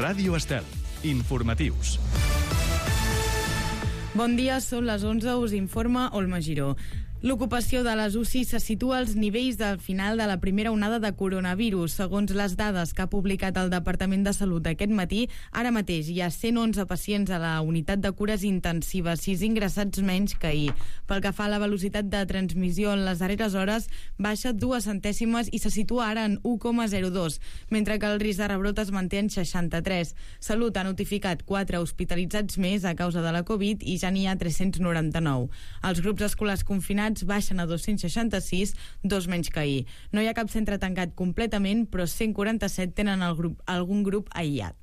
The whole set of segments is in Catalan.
Ràdio Estel. Informatius. Bon dia, són les 11, us informa Olma Giró. L'ocupació de les UCI se situa als nivells del final de la primera onada de coronavirus. Segons les dades que ha publicat el Departament de Salut aquest matí, ara mateix hi ha 111 pacients a la unitat de cures intensives, 6 ingressats menys que ahir. Pel que fa a la velocitat de transmissió en les darreres hores, baixa 2 centèsimes i se situa ara en 1,02, mentre que el risc de rebrot es manté en 63. Salut ha notificat 4 hospitalitzats més a causa de la Covid i ja n'hi ha 399. Els grups escolars confinats baixen a 266, 2 menys que ahir. No hi ha cap centre tancat completament, però 147 tenen algun grup aïllat.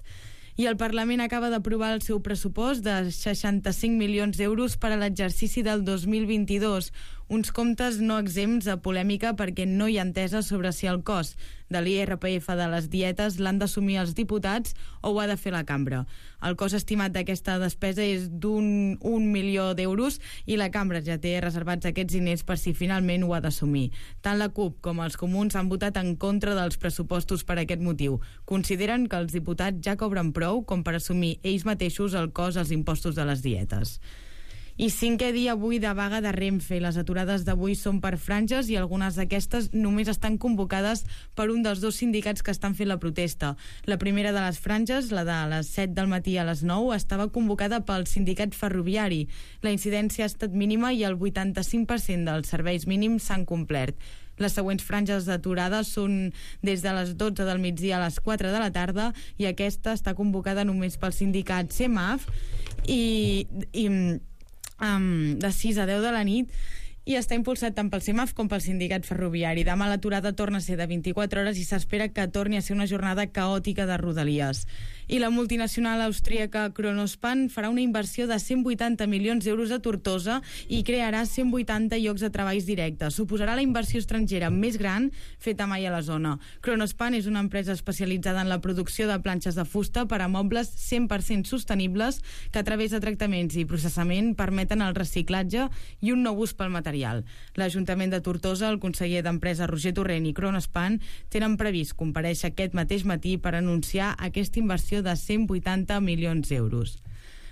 I el Parlament acaba d'aprovar el seu pressupost de 65 milions d'euros per a l'exercici del 2022. Uns comptes no exempts de polèmica perquè no hi ha entesa sobre si el cost de l'IRPF de les dietes l'han d'assumir els diputats o ho ha de fer la cambra. El cost estimat d'aquesta despesa és d'un 1 milió d'euros i la cambra ja té reservats aquests diners per si finalment ho ha d'assumir. Tant la CUP com els comuns han votat en contra dels pressupostos per aquest motiu. Consideren que els diputats ja cobren prou com per assumir ells mateixos el cost dels impostos de les dietes. I 5è dia avui de vaga de Renfe. Les aturades d'avui són per franges i algunes d'aquestes només estan convocades per un dels 2 sindicats que estan fent la protesta. La primera de les franges, la de les 7 del matí a les 9, estava convocada pel sindicat ferroviari. La incidència ha estat mínima i el 85% dels serveis mínims s'han complert. Les següents franges d'aturada són des de les 12 del migdia a les 4 de la tarda i aquesta està convocada només pel sindicat CEMAF de 6 a 10 de la nit i està impulsat tant pel CEMAF com pel sindicat ferroviari. Demà l'aturada torna a ser de 24 hores i s'espera que torni a ser una jornada caòtica de rodalies. I la multinacional austríaca Kronospan farà una inversió de 180 milions d'euros a Tortosa i crearà 180 llocs de treballs directes. Suposarà la inversió estrangera més gran feta mai a la zona. Kronospan és una empresa especialitzada en la producció de planxes de fusta per a mobles 100% sostenibles que a través de tractaments i processament permeten el reciclatge i un nou ús pel material. L'Ajuntament de Tortosa, el conseller d'Empresa Roger Torrent i Kronospan tenen previst comparèixer aquest mateix matí per anunciar aquesta inversió de 180 milions d'euros.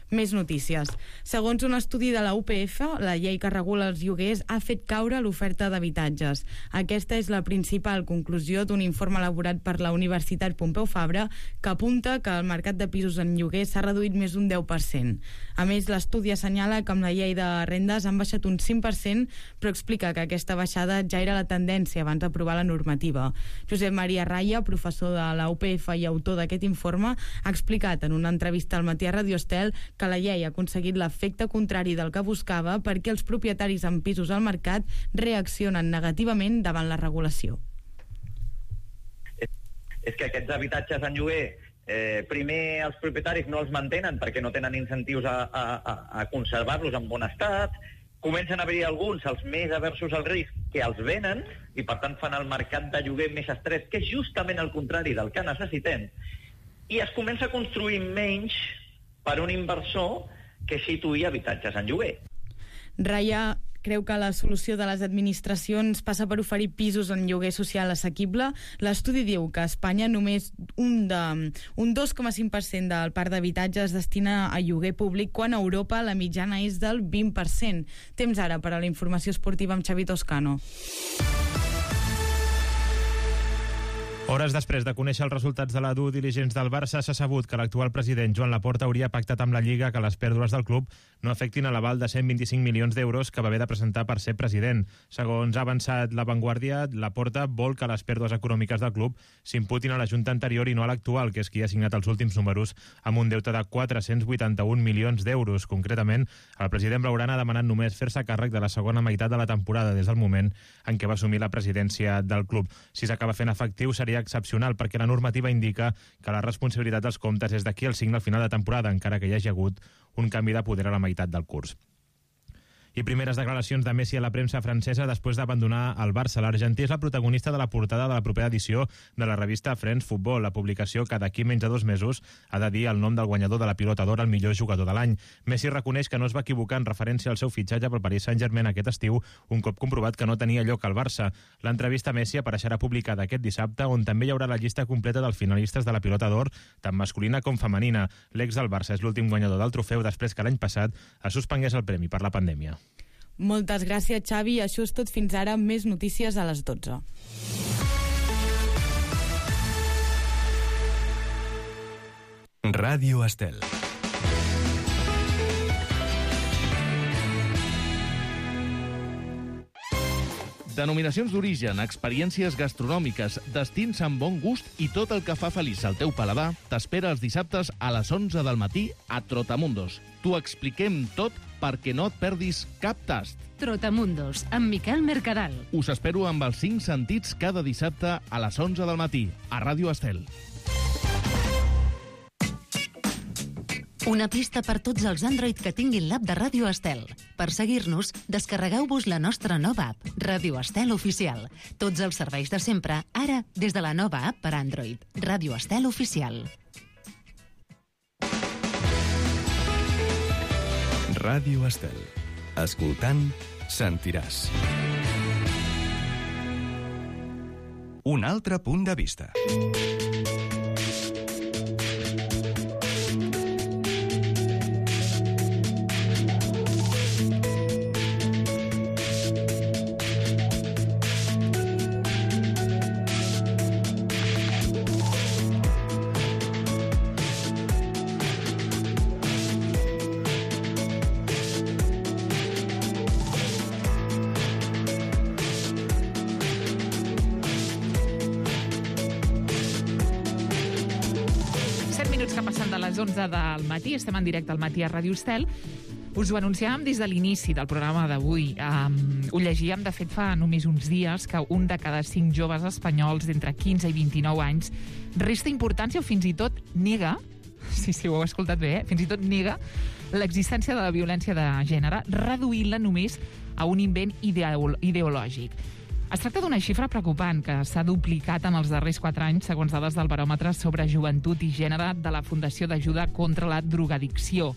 Més notícies. Segons un estudi de la UPF, la llei que regula els lloguers ha fet caure l'oferta d'habitatges. Aquesta és la principal conclusió d'un informe elaborat per la Universitat Pompeu Fabra que apunta que el mercat de pisos en lloguer s'ha reduït més d'un 10%. A més, l'estudi assenyala que amb la llei de rendes han baixat un 5%, però explica que aquesta baixada ja era la tendència abans d'aprovar la normativa. Josep Maria Raya, professor de la UPF i autor d'aquest informe, ha explicat en una entrevista al Matí a Radio Estel que la llei ha aconseguit l'efecte contrari del que buscava perquè els propietaris amb pisos al mercat reaccionen negativament davant la regulació. És que aquests habitatges en lloguer, primer els propietaris no els mantenen perquè no tenen incentius a conservar-los en bon estat, comencen a haver alguns, els més aversos al risc, que els venen i per tant fan el mercat de lloguer més estrès, que és justament el contrari del que necessitem, i es comença a construir menys per un inversor que situï habitatges en lloguer. Raya creu que la solució de les administracions passa per oferir pisos en lloguer social assequible. L'estudi diu que a Espanya només un 2,5% del parc d'habitatge es destina a lloguer públic, quan a Europa la mitjana és del 20%. Temps ara per a la informació esportiva amb Xavi Toscano. Hores després de conèixer els resultats de la due diligence del Barça, s'ha sabut que l'actual president Joan Laporta hauria pactat amb la Lliga que les pèrdues del club no afectin a l'aval de 125 milions d'euros que va haver de presentar per ser president. Segons ha avançat La Vanguardia, Laporta vol que les pèrdues econòmiques del club s'imputin a la Junta anterior i no a l'actual, que és qui ha signat els últims números amb un deute de 481 milions d'euros. Concretament, el president blaugrana ha demanat només fer-se càrrec de la segona meitat de la temporada des del moment en què va assumir la presidència del club. Si s'acaba fent efectiu, seria excepcional perquè la normativa indica que la responsabilitat dels comptes és d'aquí al signe al final de temporada, encara que hi hagi hagut un canvi de poder a la meitat del curs. I primeres declaracions de Messi a la premsa francesa després d'abandonar el Barça. L'argentí és la protagonista de la portada de la propera edició de la revista France Football, la publicació que d'aquí menys de 2 mesos ha de dir el nom del guanyador de la Pilota d'Or al millor jugador de l'any. Messi reconeix que no es va equivocar en referència al seu fitxatge pel Paris Saint-Germain aquest estiu, un cop comprovat que no tenia lloc al Barça. L'entrevista a Messi apareixerà publicada aquest dissabte, on també hi haurà la llista completa dels finalistes de la Pilota d'Or, tant masculina com femenina. L'ex del Barça és l'últim guanyador del trofeu després que l'any passat es suspengués el premi per la pandèmia. Moltes gràcies, Xavi. Això és tot fins ara. Més notícies a les 12. Ràdio Estel. Denominacions d'origen, experiències gastronòmiques, destins amb bon gust i tot el que fa feliç el teu paladar t'espera els dissabtes a les 11 del matí a Trotamundos. T'ho expliquem tot perquè no et perdis cap tast. Trotamundos, amb Miquel Mercadal. Us espero amb els 5 sentits cada dissabte a les 11 del matí a Ràdio Estel. Una pista per tots els Android que tinguin l'app de Ràdio Estel. Per seguir-nos, descarregueu-vos la nostra nova app, Ràdio Estel Oficial. Tots els serveis de sempre, ara des de la nova app per Android, Ràdio Estel Oficial. Ràdio Estel. Escoltant, sentiràs. Un altre punt de vista. Que passen de les 11 del matí, estem en directe al matí a Ràdio Estel. Us ho anunciàvem des de l'inici del programa d'avui. Ho llegíem, de fet, fa només uns dies, que un de cada 5 joves espanyols d'entre 15 i 29 anys resta importància o fins i tot nega, sí, ho heu escoltat bé, fins i tot nega l'existència de la violència de gènere, reduint-la només a un invent ideològic. Es tracta d'una xifra preocupant que s'ha duplicat en els darrers 4 anys, segons dades del baròmetre sobre joventut i gènere de la Fundació d'Ajuda contra la Drogadicció.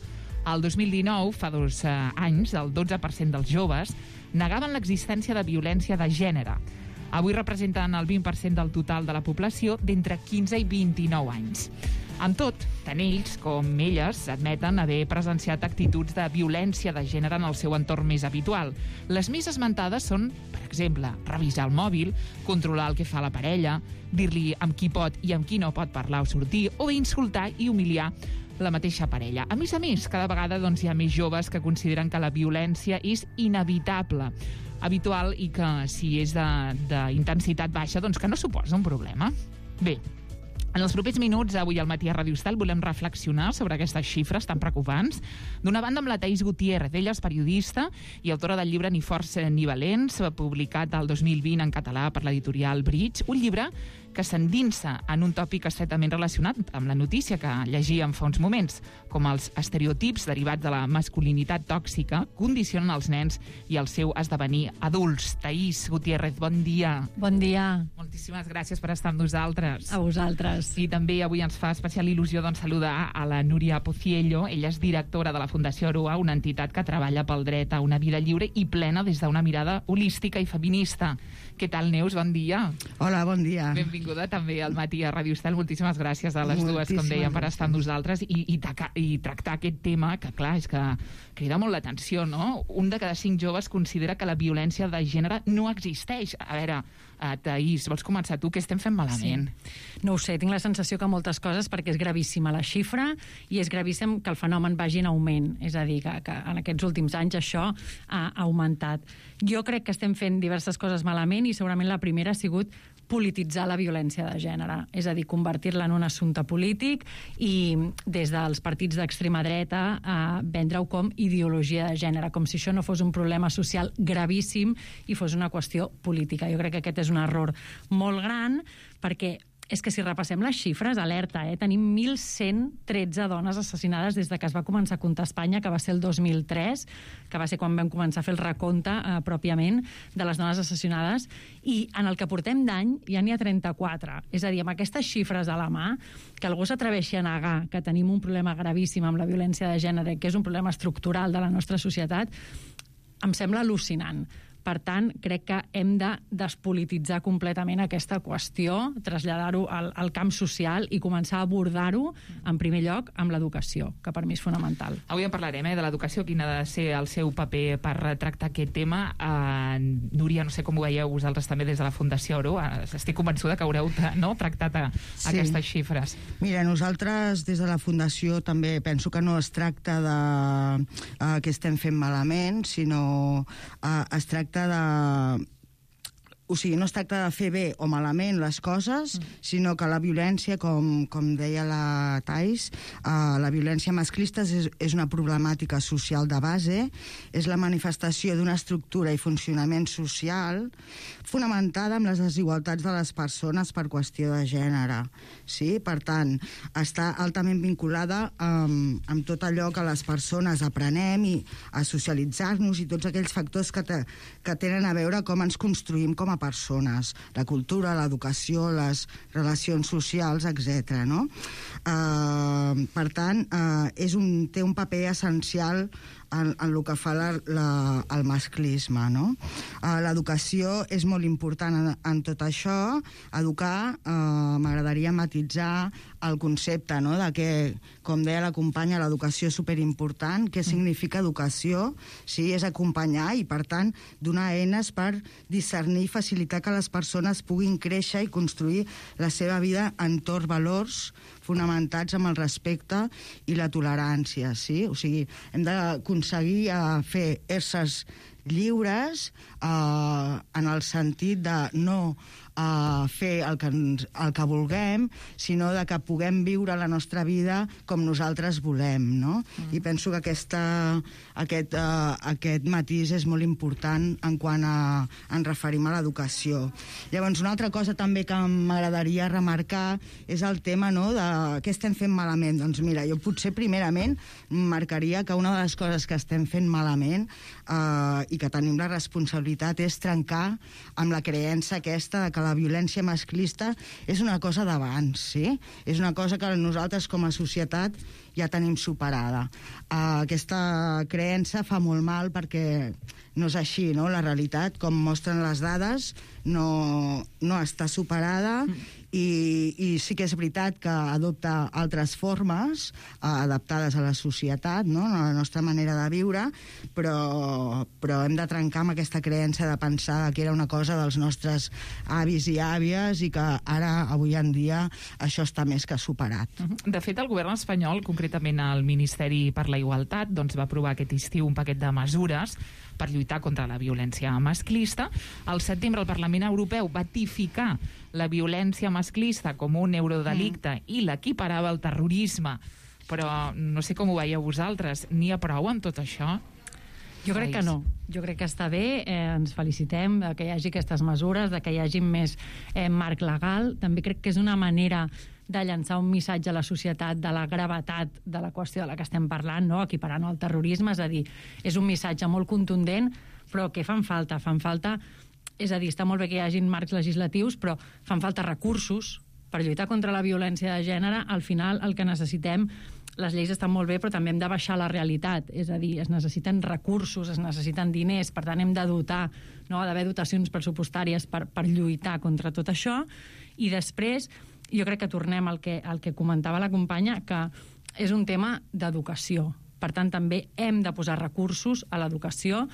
Al 2019, fa 2 anys, el 12% dels joves negaven l'existència de violència de gènere. Avui representen el 20% del total de la població d'entre 15 i 29 anys. Amb tot, tant ells com elles admeten haver presenciat actituds de violència de gènere en el seu entorn més habitual. Les més esmentades són, per exemple, revisar el mòbil, controlar el que fa la parella, dir-li amb qui pot i amb qui no pot parlar o sortir, o bé insultar i humiliar la mateixa parella. A més, cada vegada hi ha més joves que consideren que la violència és inevitable, habitual i que, si és d'intensitat baixa, que no suposa un problema. Bé, en els propers minuts, avui al matí a Ràdio Estel, volem reflexionar sobre aquestes xifres tan preocupants. D'una banda, amb la Thaís Gutiérrez. Ella és periodista i autora del llibre Ni forts ni valents, publicat el 2020 en català per l'editorial Bridge, un llibre que s'endinsa en un tòpic estretament relacionat amb la notícia que llegíem fa uns moments, com els estereotips derivats de la masculinitat tòxica condicionen els nens i el seu esdevenir adults. Thaís Gutiérrez, bon dia. Bon dia. Moltíssimes gràcies per estar amb nosaltres. A vosaltres. I també avui ens fa especial il·lusió saludar a la Núria Pociello. Ella és directora de la Fundació Aroa, una entitat que treballa pel dret a una vida lliure i plena des d'una mirada holística i feminista. Què tal, Neus? Bon dia. Hola, bon dia. Benvinguda també al matí a Ràdio Estel. Moltíssimes gràcies a les dues, com dèiem, per estar amb nosaltres i tractar aquest tema que, clar, és que crida molt l'atenció, no? Un de cada 5 joves considera que la violència de gènere no existeix. A veure, Thaís, vols començar tu? Què estem fent malament? Sí. No ho sé, tinc la sensació que moltes coses, perquè és gravíssima la xifra i és gravíssim que el fenomen vagi en augment. És a dir, que en aquests últims anys això ha augmentat. Jo crec que estem fent diverses coses malament i segurament la primera ha sigut polititzar la violència de gènere, és a dir, convertir-la en un assumpte polític i des dels partits d'extrema dreta vendre-ho com ideologia de gènere, com si això no fos un problema social gravíssim i fos una qüestió política. Jo crec que aquest és un error molt gran perquè és que si repassem les xifres, alerta, tenim 1.113 dones assassinades des de que es va començar a comptar a Espanya, que va ser el 2003, que va ser quan vam començar a fer el recompte pròpiament de les dones assassinades, i en el que portem d'any ja n'hi ha 34. És a dir, amb aquestes xifres a la mà, que algú s'atreveixi a negar que tenim un problema gravíssim amb la violència de gènere, que és un problema estructural de la nostra societat, em sembla al·lucinant. Per tant, crec que hem de despolititzar completament aquesta qüestió, traslladar-ho al camp social i començar a abordar-ho, en primer lloc, amb l'educació, que per mi és fonamental. Avui en parlarem, de l'educació, quin ha de ser el seu paper per tractar aquest tema. Núria, no sé com ho veieu vosaltres també des de la Fundació Oro. Estic convençuda que haureu tractat aquestes xifres. Mira, nosaltres des de la Fundació també penso que no es tracta de que estem fent malament, sinó es tracta o sigui, no es tracta de fer bé o malament les coses, sinó que la violència, com deia la Thais, la violència masclista és una problemàtica social de base, és la manifestació d'una estructura i funcionament social fonamentada en les desigualtats de les persones per qüestió de gènere. Sí? Per tant, està altament vinculada amb tot allò que les persones aprenem i a socialitzar-nos i tots aquells factors que tenen a veure com ens construïm com a persones, la cultura, l'educació, les relacions socials, etc. No? Per tant, té un paper essencial en el que fa el masclisme. No? L'educació és molt important en tot això. Educar, m'agradaria matitzar el concepte de que, com deia la companya, l'educació és superimportant. Què significa educació? Sí, és acompanyar i, per tant, donar eines per discernir i facilitar que les persones puguin créixer i construir la seva vida entorn valors fonamentats amb el respecte i la tolerància. Sí? O sigui, hem d'aconseguir fer éssers lliures en el sentit de no fer el que vulguem, sinó de que puguem viure la nostra vida com nosaltres volem. No? I penso que aquest matís és molt important en quan ens referim a l'educació. Llavors, una altra cosa també que m'agradaria remarcar és el tema de què estem fent malament. Doncs mira, jo potser primerament marcaria que una de les coses que estem fent malament i que tenim la responsabilitat és trencar amb la creença aquesta de que la violència masclista és una cosa d'abans, sí? És una cosa que nosaltres com a societat ja tenim superada. Aquesta creença fa molt mal perquè no és així, no? La realitat, com mostren les dades, no està superada i sí que és veritat que adopta altres formes adaptades a la societat, no? A la nostra manera de viure, però hem de trencar amb aquesta creença de pensar que era una cosa dels nostres avis i àvies i que ara, avui en dia, això està més que superat. De fet, el govern espanyol, concretament el Ministeri per la Igualtat, va aprovar aquest estiu un paquet de mesures per lluitar contra la violència masclista. Al setembre, el Parlament Europeu va tipificar la violència masclista com un eurodelicte i l'equiparava al terrorisme. Però no sé com ho veieu vosaltres. N'hi ha prou amb tot això? Jo crec que no. Jo crec que està bé, ens felicitem que hi hagi aquestes mesures, que hi hagi més marc legal. També crec que és una manera de llançar un missatge a la societat de la gravetat de la qüestió de la que estem parlant, no? Equiparant al terrorisme, és a dir, és un missatge molt contundent, però que fan falta, és a dir, està molt bé que hi hagin marcs legislatius, però fan falta recursos per lluitar contra la violència de gènere. Al final, el que necessitem, les lleis estan molt bé, però també hem de baixar la realitat, és a dir, es necessiten recursos, es necessiten diners, per tant hem de dotar, no? Ha d'haver dotacions pressupostàries per lluitar contra tot això, i després jo crec que tornem al que comentava la companya, que és un tema d'educació. Per tant, també hem de posar recursos a l'educació,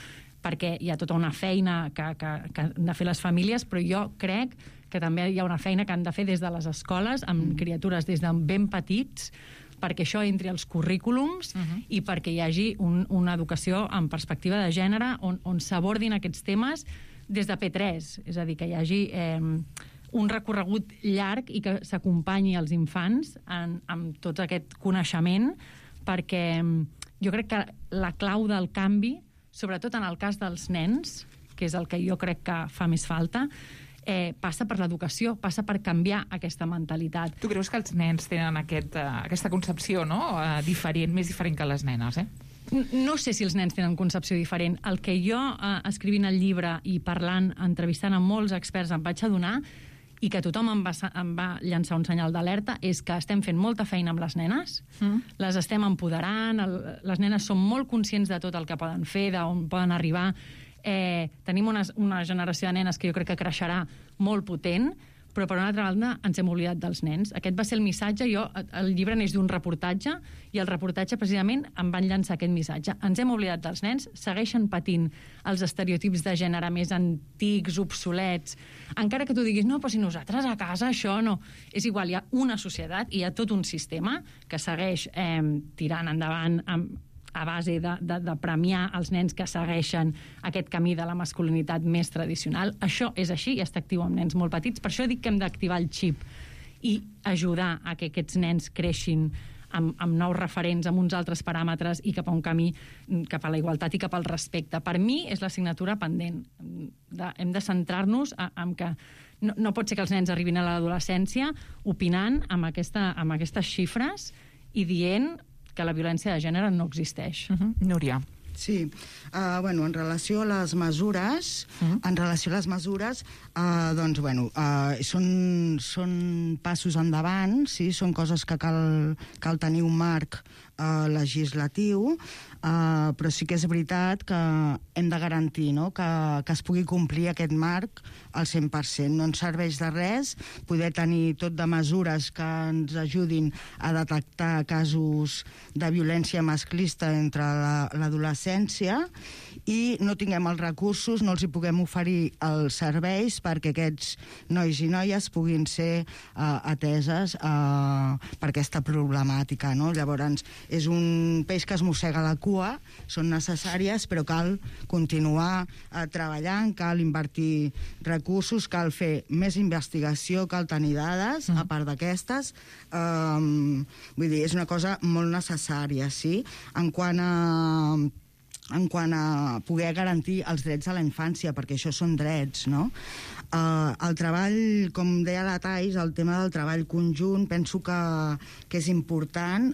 perquè hi ha tota una feina que han de fer les famílies, però jo crec que també hi ha una feina que han de fer des de les escoles, amb criatures des de ben petits, perquè això entri als currículums i perquè hi hagi una educació en perspectiva de gènere on s'abordin aquests temes des de P3, és a dir, que hi hagi un recorregut llarg i que s'acompanyi als infants amb tot aquest coneixement, perquè jo crec que la clau del canvi, sobretot en el cas dels nens, que és el que jo crec que fa més falta, passa per l'educació, passa per canviar aquesta mentalitat. Tu creus que els nens tenen aquesta concepció, no? Més diferent que les nenes, No sé si els nens tenen concepció diferent. El que jo, escrivint el llibre i parlant, entrevistant amb molts experts, em vaig adonar, i que tothom em va llançar un senyal d'alerta, és que estem fent molta feina amb les nenes, les estem empoderant, les nenes són molt conscients de tot el que poden fer, d'on poden arribar. Tenim una generació de nenes que jo crec que creixerà molt potent, però per una altra banda ens hem oblidat dels nens. Aquest va ser el missatge. El llibre neix d'un reportatge i el reportatge precisament em van llançar aquest missatge. Ens hem oblidat dels nens, segueixen patint els estereotips de gènere més antics, obsolets. Encara que tu diguis, no, però si nosaltres a casa això no... És igual, hi ha una societat i hi ha tot un sistema que segueix tirant endavant a base de premiar els nens que segueixen aquest camí de la masculinitat més tradicional. Això és així i està actiu amb nens molt petits. Per això dic que hem d'activar el xip i ajudar a que aquests nens creixin amb nous referents, amb uns altres paràmetres i cap a un camí cap a la igualtat i cap al respecte. Per mi és l'assignatura pendent. Hem de centrar-nos en que no pot ser que els nens arribin a l'adolescència opinant amb aquestes xifres i dient que la violència de gènere no existeix. Núria. Sí, en relació a les mesures, són passos endavant, sí, són coses que cal tenir un marc legislatiu, però sí que és veritat que hem de garantir, no?, que es pugui complir aquest marc al 100%. No ens serveix de res poder tenir tot de mesures que ens ajudin a detectar casos de violència masclista entre l'adolescència i no tinguem els recursos, no els hi puguem oferir els serveis perquè aquests nois i noies puguin ser ateses per aquesta problemàtica, no? Llavors, és un peix que es mossega la cua, són necessàries, però cal continuar treballant, cal invertir recursos, cal fer més investigació, cal tenir dades, a part d'aquestes. Vull dir, és una cosa molt necessària, sí? En quant a poder garantir els drets a la infància, perquè això són drets, no? El treball, com deia la Thais, el tema del treball conjunt, penso que és important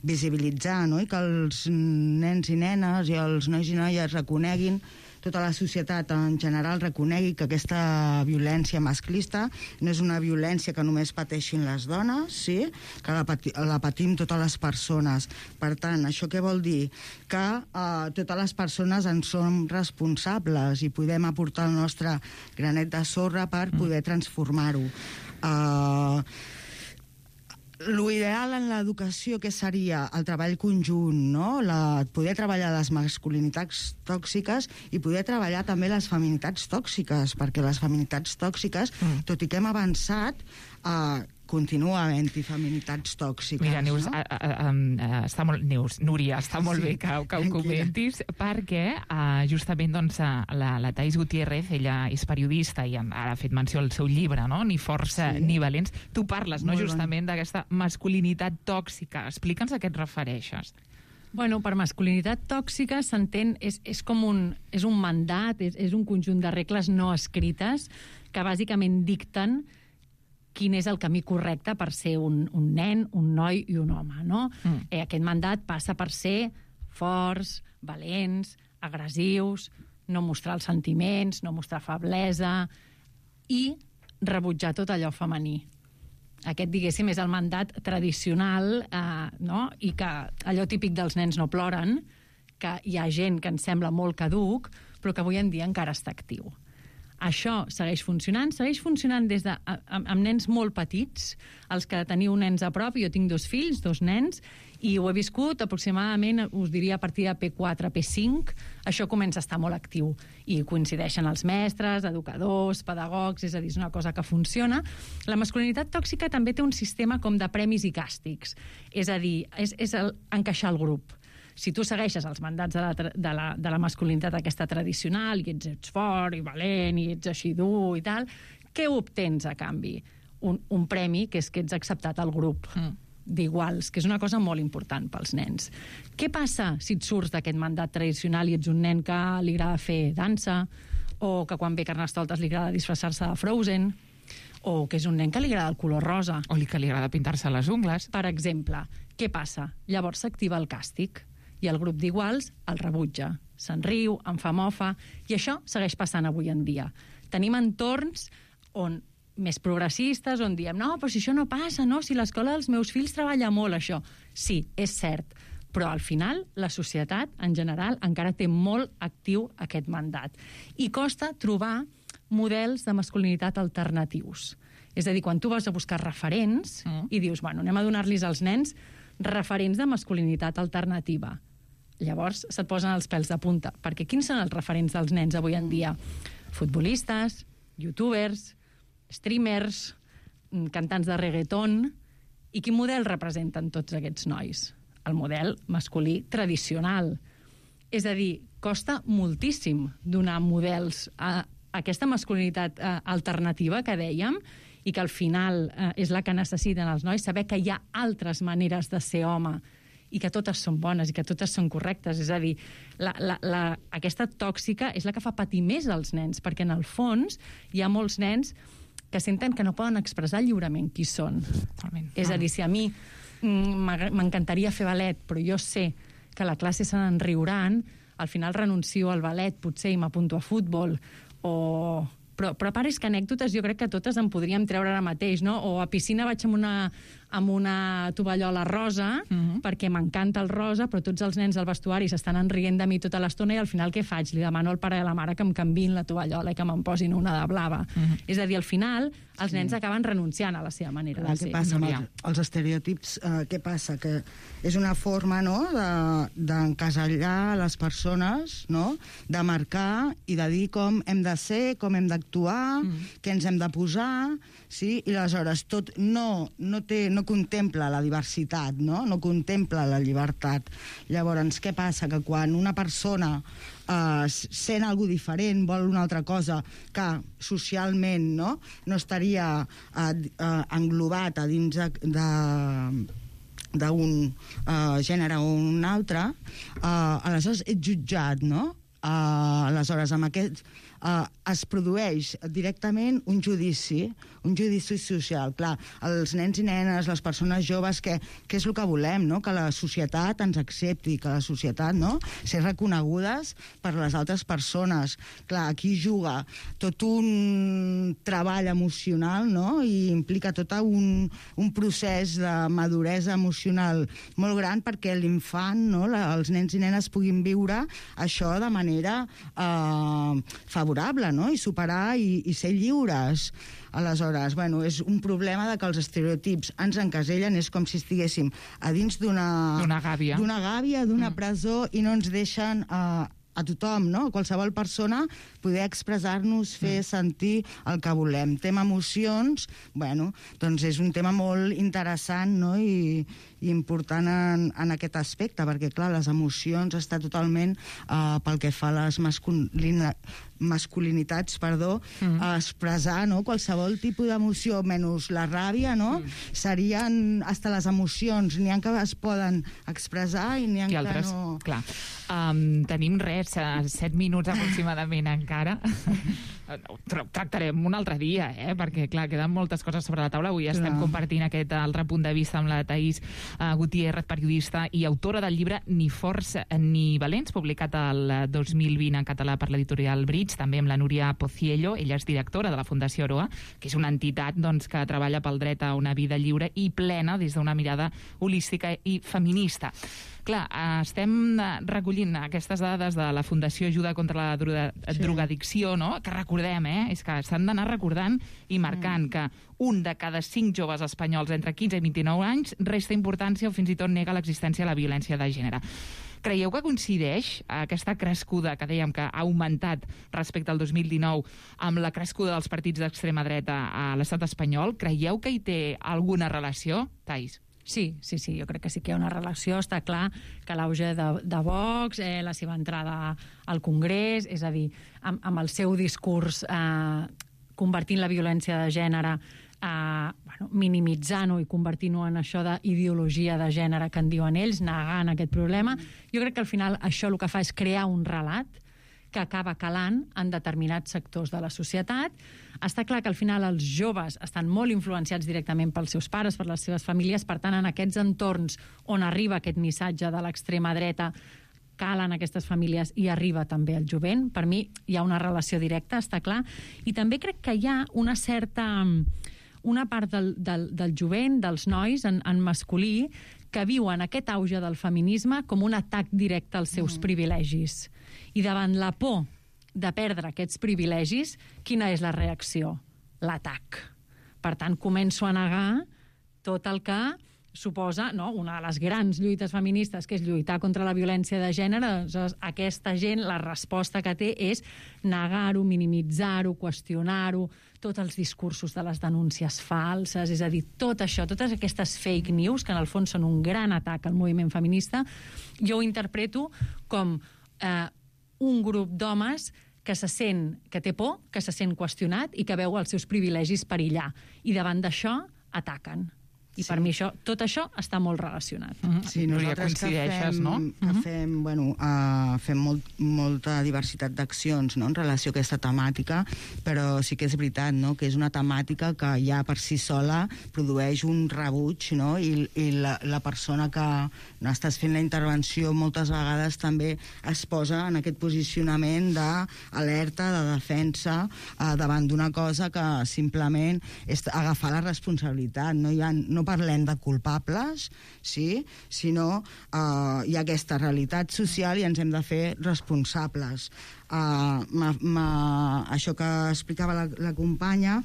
visibilitzar, no?, i que els nens i nenes i els nois i noies reconeguin, tota la societat en general reconegui que aquesta violència masclista no és una violència que només pateixin les dones, sí? Que la patim totes les persones. Per tant, això què vol dir? Que totes les persones en som responsables i podem aportar el nostre granet de sorra per poder transformar-ho. L'ideal en l'educació, que seria el treball conjunt, no? Poder treballar les masculinitats tòxiques i poder treballar també les feminitats tòxiques, perquè les feminitats tòxiques, tot i que hem avançat, continua havent-hi feminitats tòxiques. Mira, Neus, no? Núria, està molt bé que ho comentis, perquè justament doncs, la Thais Gutiérrez, ella és periodista i ara ha fet menció al seu llibre, no?, Ni forts ni valents. Tu parles, no?, justament d'aquesta masculinitat tòxica. Explica'ns a què et refereixes. Bueno, per masculinitat tòxica s'entén, és com és un mandat, és un conjunt de regles no escrites que bàsicament dicten quin és el camí correcte per ser un nen, un noi i un home, no? Aquest mandat passa per ser forts, valents, agressius, no mostrar els sentiments, no mostrar feblesa i rebutjar tot allò femení. Aquest, diguéssim, és el mandat tradicional, no? I que allò típic dels nens no ploren, que hi ha gent que ens sembla molt caduc, però que avui en dia encara està actiu. Això segueix funcionant des de amb nens molt petits, els que teniu nens a prop. Jo tinc 2 fills, 2 nens, i ho he viscut aproximadament, us diria, a partir de P4, P5, això comença a estar molt actiu. I coincideixen els mestres, educadors, pedagogs, és a dir, és una cosa que funciona. La masculinitat tòxica també té un sistema com de premis i càstigs. És a dir, és encaixar el grup. Si tu segueixes els mandats de la masculinitat aquesta tradicional i ets fort i valent i ets així dur i tal, què obtens a canvi? Un premi, que és que ets acceptat al grup d'iguals, que és una cosa molt important pels nens. Què passa si et surts d'aquest mandat tradicional i ets un nen que li agrada fer dansa, o que quan ve Carnestoltes li agrada disfressar-se de Frozen, o que és un nen que li agrada el color rosa. O que li agrada pintar-se les ungles. Per exemple, què passa? Llavors s'activa el càstig i el grup d'iguals el rebutja. Se'n riu, en fa mofa, i això segueix passant avui en dia. Tenim entorns on més progressistes, on diem no, però si això no passa, no? Si l'escola dels meus fills treballa molt, això. Sí, és cert, però al final la societat, en general, encara té molt actiu aquest mandat. I costa trobar models de masculinitat alternatius. És a dir, quan tu vas a buscar referents i dius, bueno, anem a donar-los als nens referents de masculinitat alternativa. Llavors se't posen els pèls de punta, perquè quins són els referents dels nens avui en dia? Futbolistes, youtubers, streamers, cantants de reggaeton. I quin model representen tots aquests nois? El model masculí tradicional. És a dir, costa moltíssim donar models a aquesta masculinitat alternativa que dèiem i que al final és la que necessiten els nois, saber que hi ha altres maneres de ser home i que totes són bones i que totes són correctes. És a dir, aquesta tòxica és la que fa patir més als nens, perquè en el fons hi ha molts nens que senten que no poden expressar lliurement qui són. És a dir, si a mi m'encantaria fer ballet, però jo sé que a la classe se n'en riuran, al final renuncio al ballet, potser, i m'apunto a futbol, però a part és que anècdotes jo crec que totes en podríem treure ara mateix, no? O a piscina vaig amb una tovallola rosa, perquè m'encanta el rosa, però tots els nens al vestuari s'estan enrient de mi tota l'estona i al final què faig? Li demano al pare i a la mare que em canviïn la tovallola i que me'n posin una de blava. És a dir, al final els nens acaben renunciant a la seva manera de ser. Què passa amb els estereotips? Què passa? Que és una forma, no?, d'encasellar les persones, no?, de marcar i de dir com hem de ser, com hem d'actuar, què ens hem de posar, sí? I aleshores tot no contempla la diversitat, no contempla la llibertat. Llavors, què passa? Que quan una persona sent alguna cosa diferent, vol una altra cosa que socialment no estaria englobat a dins d'un gènere o un altre, aleshores ets jutjat, no? Aleshores, amb aquest es produeix directament un judici social. Clar, els nens i nenes, les persones joves, què és el que volem, no? Que la societat ens accepti, que la societat, no?, ser reconegudes per les altres persones. Clar, aquí juga tot un treball emocional, no?, i implica tot un procés de maduresa emocional molt gran perquè l'infant, no?, els nens i nenes puguin viure això de manera favorable, no?, i superar i ser lliures. Aleshores, bueno, és un problema de que els estereotips ens encasellen, és com si estiguéssim a dins d'una gàbia, d'una presó, i no ens deixen a tothom, no?, a qualsevol persona, poder expressar-nos, fer sentir el que volem. Tema emocions, bueno, doncs és un tema molt interessant, no?, i important en aquest aspecte, perquè, clar, les emocions està totalment pel que fa a les masculinitats, a expressar, no?, qualsevol tipus d'emoció, menys la ràbia, no?, serien hasta les emocions, n'hi ha que es poden expressar i n'hi ha que altres, no. Clar. Tenim 7 minuts aproximadament encara. Tractarem un altre dia, perquè, clar, queden moltes coses sobre la taula. Avui estem compartint aquest altre punt de vista amb la Thaís Gutiérrez, periodista i autora del llibre Ni forts ni valents, publicat el 2020 en català per l'editorial Bridge, també amb la Núria Pociello. Ella és directora de la Fundació Aroa, que és una entitat que treballa pel dret a una vida lliure i plena des d'una mirada holística i feminista. Clar, estem recollint aquestes dades de la Fundació Ajuda contra la Drogadicció, no?, que recordem, és que s'han d'anar recordant i marcant que un de cada 5 joves espanyols entre 15 i 29 anys resta importància o fins i tot nega l'existència de la violència de gènere. Creieu que coincideix aquesta crescuda que dèiem que ha augmentat respecte al 2019 amb la crescuda dels partits d'extrema dreta a l'estat espanyol? Creieu que hi té alguna relació, Thaís? Sí, jo crec que sí que hi ha una relació. Està clar que l'auge de Vox, la seva entrada al Congrés, és a dir, amb el seu discurs convertint la violència de gènere, minimitzant-ho i convertint-ho en això d'ideologia de gènere que en diuen ells, negant aquest problema. Jo crec que al final això el que fa és crear un relat que acaba calant en determinats sectors de la societat. Està clar que al final els joves estan molt influenciats directament pels seus pares, per les seves famílies, per tant, en aquests entorns on arriba aquest missatge de l'extrema dreta, calen aquestes famílies i arriba també el jovent. Per mi hi ha una relació directa, està clar. I també crec que hi ha una part del jovent, dels nois en masculí, que viuen aquest auge del feminisme com un atac directe als seus privilegis. I davant la por de perdre aquests privilegis, quina és la reacció? L'atac. Per tant, començo a negar tot el que suposa, no, una de les grans lluites feministes, que és lluitar contra la violència de gènere. Doncs aquesta gent, la resposta que té és negar-ho, minimitzar-ho, qüestionar-ho, tots els discursos de les denúncies falses, és a dir, tot això, totes aquestes fake news, que en el fons són un gran atac al moviment feminista, jo ho interpreto com un grup d'homes que té por, que se sent qüestionat i que veu els seus privilegis perillar. I davant d'això ataquen. I per mi tot això està molt relacionat. Sí, nosaltres fem molta diversitat d'accions, no?, en relació a aquesta temàtica, però sí que és veritat, no?, que és una temàtica que ja per si sola produeix un rebuig, no?, i la persona que estàs fent la intervenció moltes vegades també es posa en aquest posicionament d'alerta, de defensa davant d'una cosa que simplement és agafar la responsabilitat. No parlem de culpables, sí, sinó hi ha aquesta realitat social i ens hem de fer responsables. Això que explicava la companya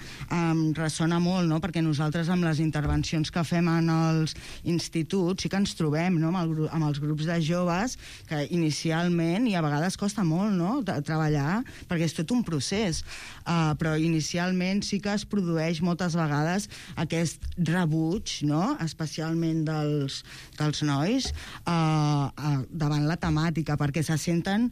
ressona molt, no?, perquè nosaltres amb les intervencions que fem en els instituts sí que ens trobem, no?, amb els grups de joves, que inicialment, i a vegades costa molt, no?, treballar, perquè és tot un procés, però inicialment sí que es produeix moltes vegades aquest rebuig, no?, especialment dels nois davant la temàtica, perquè se senten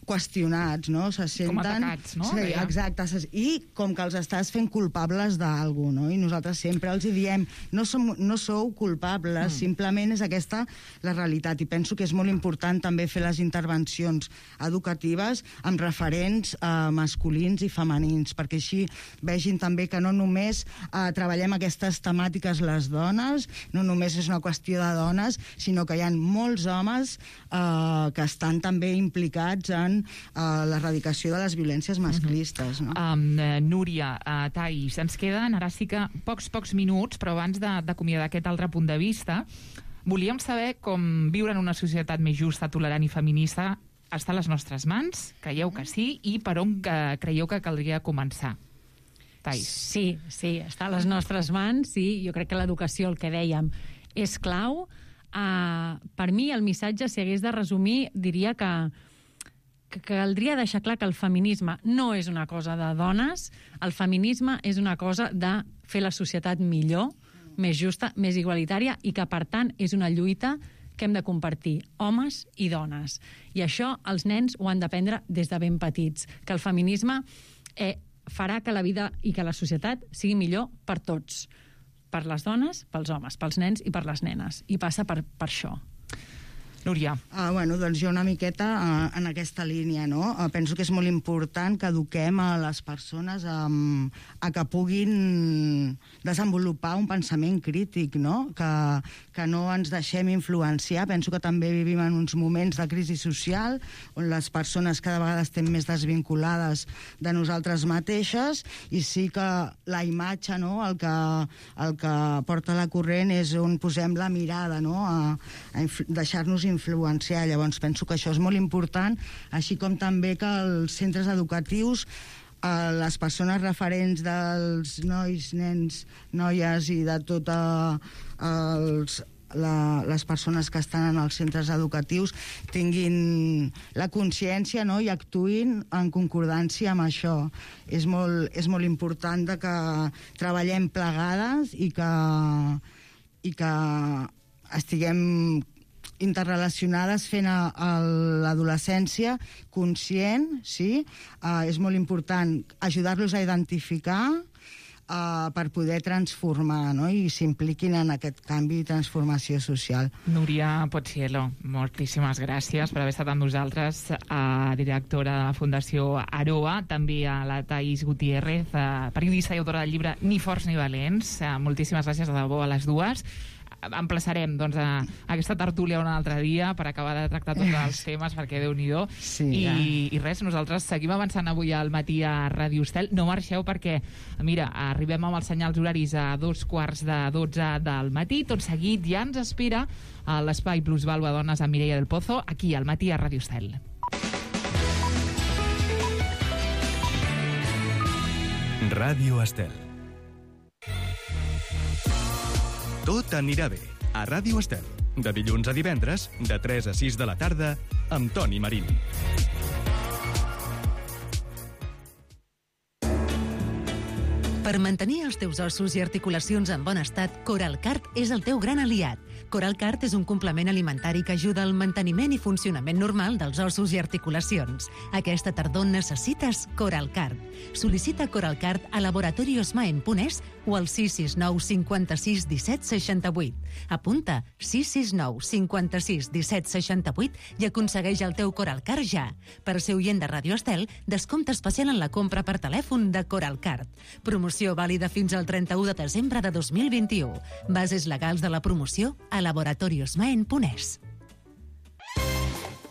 qüestionats, no? Se senten... Com atacats, no? Sí, exacte. I com que els estàs fent culpables d'algú, no? I nosaltres sempre els diem, no sou culpables, simplement és aquesta la realitat. I penso que és molt important també fer les intervencions educatives amb referents masculins i femenins, perquè així vegin també que no només treballem aquestes temàtiques les dones, no només és una qüestió de dones, sinó que hi ha molts homes que estan també implicats en l'erradicació de les violències masclistes. No? Núria, Thais, ens queden ara sí que pocs minuts, però abans d'acomiadar aquest altre punt de vista, volíem saber com viure en una societat més justa, tolerant i feminista està a les nostres mans, creieu que sí, i per on creieu que caldria començar? Thais. Sí, està a les nostres mans, sí, jo crec que l'educació, el que dèiem, és clau. Per mi el missatge, si hagués de resumir, diria que caldria deixar clar que el feminisme no és una cosa de dones, el feminisme és una cosa de fer la societat millor, més justa, més igualitària, i que, per tant, és una lluita que hem de compartir, homes i dones. I això els nens ho han d'aprendre des de ben petits, que el feminisme farà que la vida i que la societat sigui millor per tots, per les dones, pels homes, pels nens i per les nenes. I passa per això. Núria. Doncs jo una miqueta en aquesta línia, no? Penso que és molt important que eduquem a les persones a que puguin desenvolupar un pensament crític, no? Que no ens deixem influenciar. Penso que també vivim en uns moments de crisi social on les persones cada vegada estem més desvinculades de nosaltres mateixes, i sí que la imatge, no? El que porta la corrent és on posem la mirada, no? A deixar-nos influenciar. Llavors penso que això és molt important, així com també que els centres educatius, les persones referents dels nois, nens, noies i de totes les persones que estan en els centres educatius tinguin la consciència, no?, i actuïn en concordància amb això. És molt important que treballem plegades i que estiguem interrelacionades fent l'adolescència conscient, sí? És molt important ajudar-los a identificar per poder transformar, no? I s'impliquin en aquest canvi i transformació social. Núria Pochiello, moltíssimes gràcies per haver estat amb nosaltres, directora de la Fundació Aroa, també a la Thaís Gutiérrez, periodista i autora del llibre Ni forts ni valents. Moltíssimes gràcies de debò a les dues. Emplaçarem doncs, a aquesta tertúlia un altre dia per acabar de tractar tots els temes, perquè Déu-n'hi-do. Sí, I res, nosaltres seguim avançant avui al matí a Ràdio Estel. No marxeu perquè, mira, arribem amb els senyals horaris a 11:45 del matí. Tot seguit ja ens espera a l'Espai Plusvalua Dones amb Mireia del Pozo, aquí al matí a Ràdio Estel. Ràdio Estel. Tot anirà bé, a Ràdio Estel. De dilluns a divendres, de 3 a 6 de la tarda, amb Toni Marín. Per mantenir els teus ossos i articulacions en bon estat, Coralcart és el teu gran aliat. Coralcart és un complement alimentari que ajuda al manteniment i funcionament normal dels ossos i articulacions. Aquesta tardor necessites Coralcart. Sol·licita Coralcart a laboratoriosmaen.es o al 669 56 17 68. Apunta 669 56 17 68 i aconsegueix el teu Coralcart ja. Per ser oient de Ràdio Estel, descompte especial en la compra per telèfon de Coralcart. Promoció vàlida fins al 31 de desembre de 2021. Bases legals de la promoció a laboratoriosmaen.es.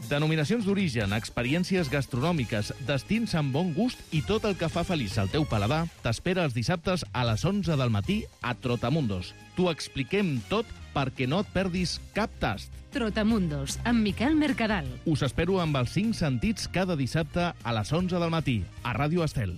Denominacions d'origen, experiències gastronòmiques, destins amb bon gust i tot el que fa feliç al teu paladar t'espera els dissabtes a les 11 del matí a Trotamundos. T'ho expliquem tot perquè no et perdis cap tast. Trotamundos, amb Miquel Mercadal. Us espero amb els 5 sentits cada dissabte a les 11 del matí a Ràdio Estel.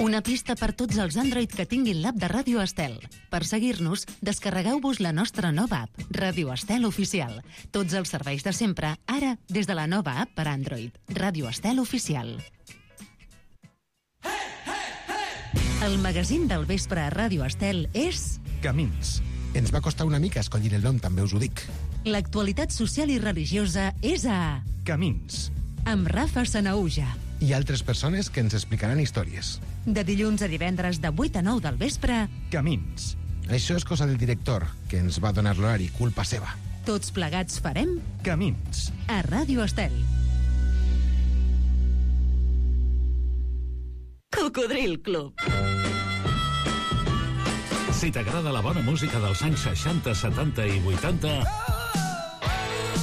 Una pista per tots els Android que tinguin l'app de Ràdio Estel. Per seguir-nos, descarregueu-vos la nostra nova app, Ràdio Estel Oficial. Tots els serveis de sempre, ara des de la nova app per Android, Ràdio Estel Oficial. El magazín del vespre a Ràdio Estel és... Camins. Ens va costar una mica escollir el nom, també us ho dic. L'actualitat social i religiosa és a... Camins. Amb Rafa Sanaúja. I altres persones que ens explicaran històries. De dilluns a divendres de 8 a 9 del vespre... Camins. Això és cosa del director, que ens va donar l'horari, culpa seva. Tots plegats farem... Camins. A Ràdio Estel. Cocodril Club. Si t'agrada la bona música dels anys 60, 70 i 80...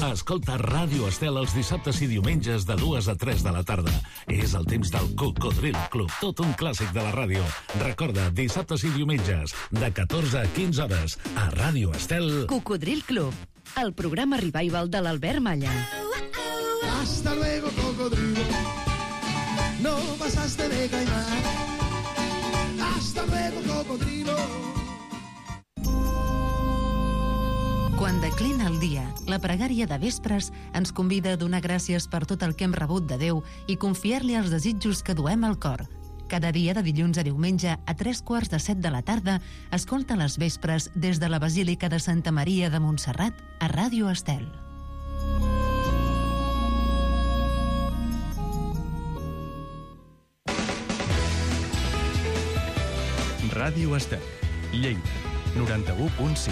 Escolta Ràdio Estel els dissabtes i diumenges de 2 a 3 de la tarda. És el temps del Cocodril Club, tot un clàssic de la ràdio. Recorda, dissabtes i diumenges, de 14 a 15 hores, a Ràdio Estel. Cocodril Club, el programa revival de l'Albert Malla. Hasta luego, cocodrilo. No pasaste de caimán. Hasta luego, cocodrilo. Quan declina el dia, la pregària de vespres ens convida a donar gràcies per tot el que hem rebut de Déu i confiar-li els desitjos que duem al cor. Cada dia de dilluns a diumenge a 6:45 de la tarda, escolta les vespres des de la Basílica de Santa Maria de Montserrat a Ràdio Estel. Ràdio Estel, Lleida, 91.5.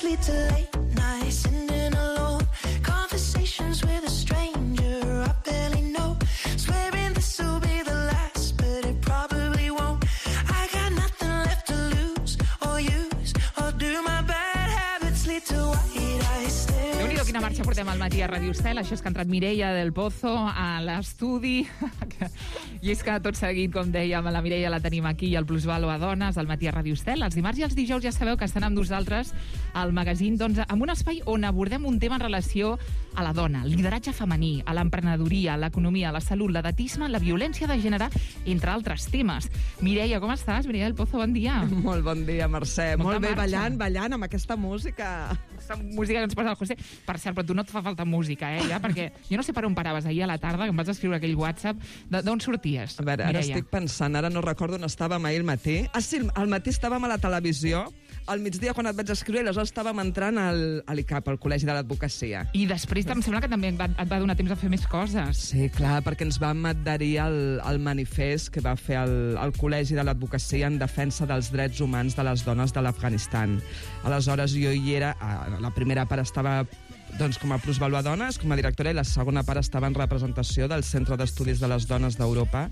Lead to late nights, sitting alone, conversations with a stranger I barely know, swearing this will be the last, but it probably won't. I got nothing left to lose or use, or do my bad habits lead to white eyes stare. Déu-n'hi-do quina marxa portem al matí a Ràdio Estel. Això és que ha entrat Mireia del Pozo a l'estudi. I és que tot seguit, com dèiem, la Mireia la tenim aquí al Plusvalua Dones, al matí a Ràdio Estel. Els dimarts i els dijous ja sabeu que estan amb nosaltres al magazín, doncs, amb un espai on abordem un tema en relació a la dona, el lideratge femení, a l'emprenedoria, l'economia, la salut, l'edatisme, la violència de gènere, entre altres temes. Mireia, com estàs? Mireia del Pozo, bon dia. Molt bon dia, Mercè. Molt bé, marxa. ballant amb aquesta música. Aquesta música que ens posa el José. Per cert, però tu no et fa falta música, ja? Perquè jo no sé per on paraves ahir a la tarda, que em vas escriure aquell WhatsApp. D'on sorties, A veure, ara Mireia? estic pensant, ara no recordo on estàvem ahir al matí. Ah, sí, al matí estàvem a la televisió al migdia quan et vaig escriure, aleshores estàvem entrant al ICAP, al Col·legi de l'Advocacia. I després em sembla que també et va donar temps a fer més coses. Sí, clar, perquè ens vam adherir al manifest que va fer el Col·legi de l'Advocacia en defensa dels drets humans de les dones de l'Afganistan. Aleshores, jo hi era, la primera part estava com a plusvàlua dones, com a directora, i la segona part estava en representació del Centre d'Estudis de les Dones d'Europa,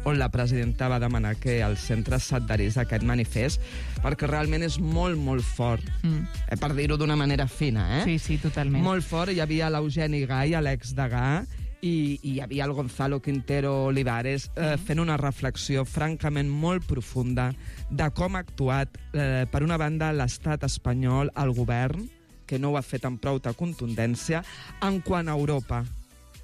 on la presidenta va demanar que el centre s'adherís a aquest manifest, perquè realment és molt, molt fort, per dir-ho d'una manera fina, Sí, totalment. Molt fort. Hi havia l'Eugeni Gai, l'ex-degà, i hi havia el Gonzalo Quintero Olivares fent una reflexió francament molt profunda de com ha actuat, per una banda, l'estat espanyol, el govern, que no ho ha fet amb prou contundència, en quant a Europa,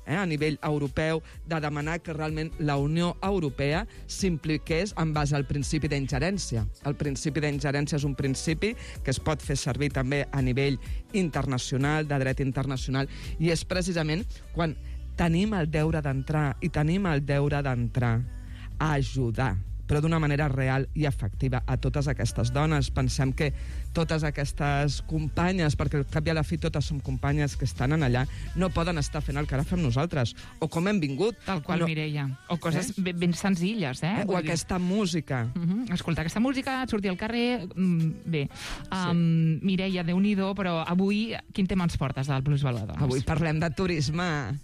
a nivell europeu, de demanar que realment la Unió Europea s'impliqués en base al principi d'ingerència. El principi d'ingerència és un principi que es pot fer servir també a nivell internacional, de dret internacional, i és precisament quan tenim el deure d'entrar a ajudar, però d'una manera real i efectiva a totes aquestes dones. Pensem que totes aquestes companyes, perquè al cap i a la fi totes som companyes que estan allà, no poden estar fent el que ara fem nosaltres, o com hem vingut. Tal qual, Mireia. O coses ben senzilles, O aquesta música. Escoltar aquesta música, sortir al carrer... Bé, Mireia, Déu-n'hi-do, però avui quin tema ens portes del Plusvàlua Dones? Avui parlem de turisme.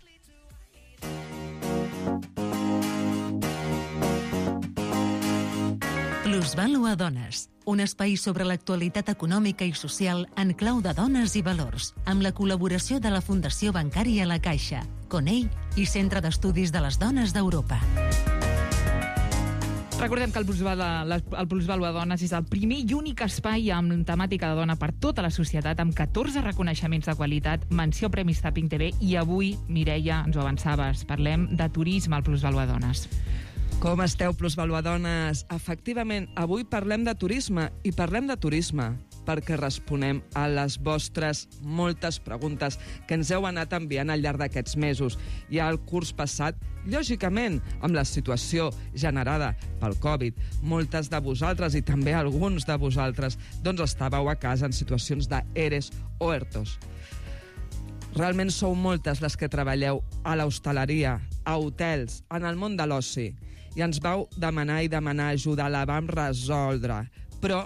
Plusvàlua Dones, un espai sobre l'actualitat econòmica i social en clau de dones i valors, amb la col·laboració de la Fundació Bancària La Caixa, CONEI i Centre d'Estudis de les Dones d'Europa. Recordem que el Plusvàlua Dones és el primer i únic espai amb temàtica de dona per tota la societat, amb 14 reconeixements de qualitat, menció Premis Tapping TV, i avui, Mireia, ens ho avançaves, parlem de turisme al Plusvàlua Dones. Com esteu, Plusvàlua Dones? Efectivament, avui parlem de turisme, i parlem de turisme perquè responem a les vostres moltes preguntes que ens heu anat enviant al llarg d'aquests mesos. I al curs passat, lògicament, amb la situació generada pel Covid, moltes de vosaltres, i també alguns de vosaltres, doncs estàveu a casa en situacions d'ERES o ERTOs. Realment sou moltes les que treballeu a l'hostaleria, a hotels, en el món de l'oci, i ens vau demanar ajuda, la vam resoldre. Però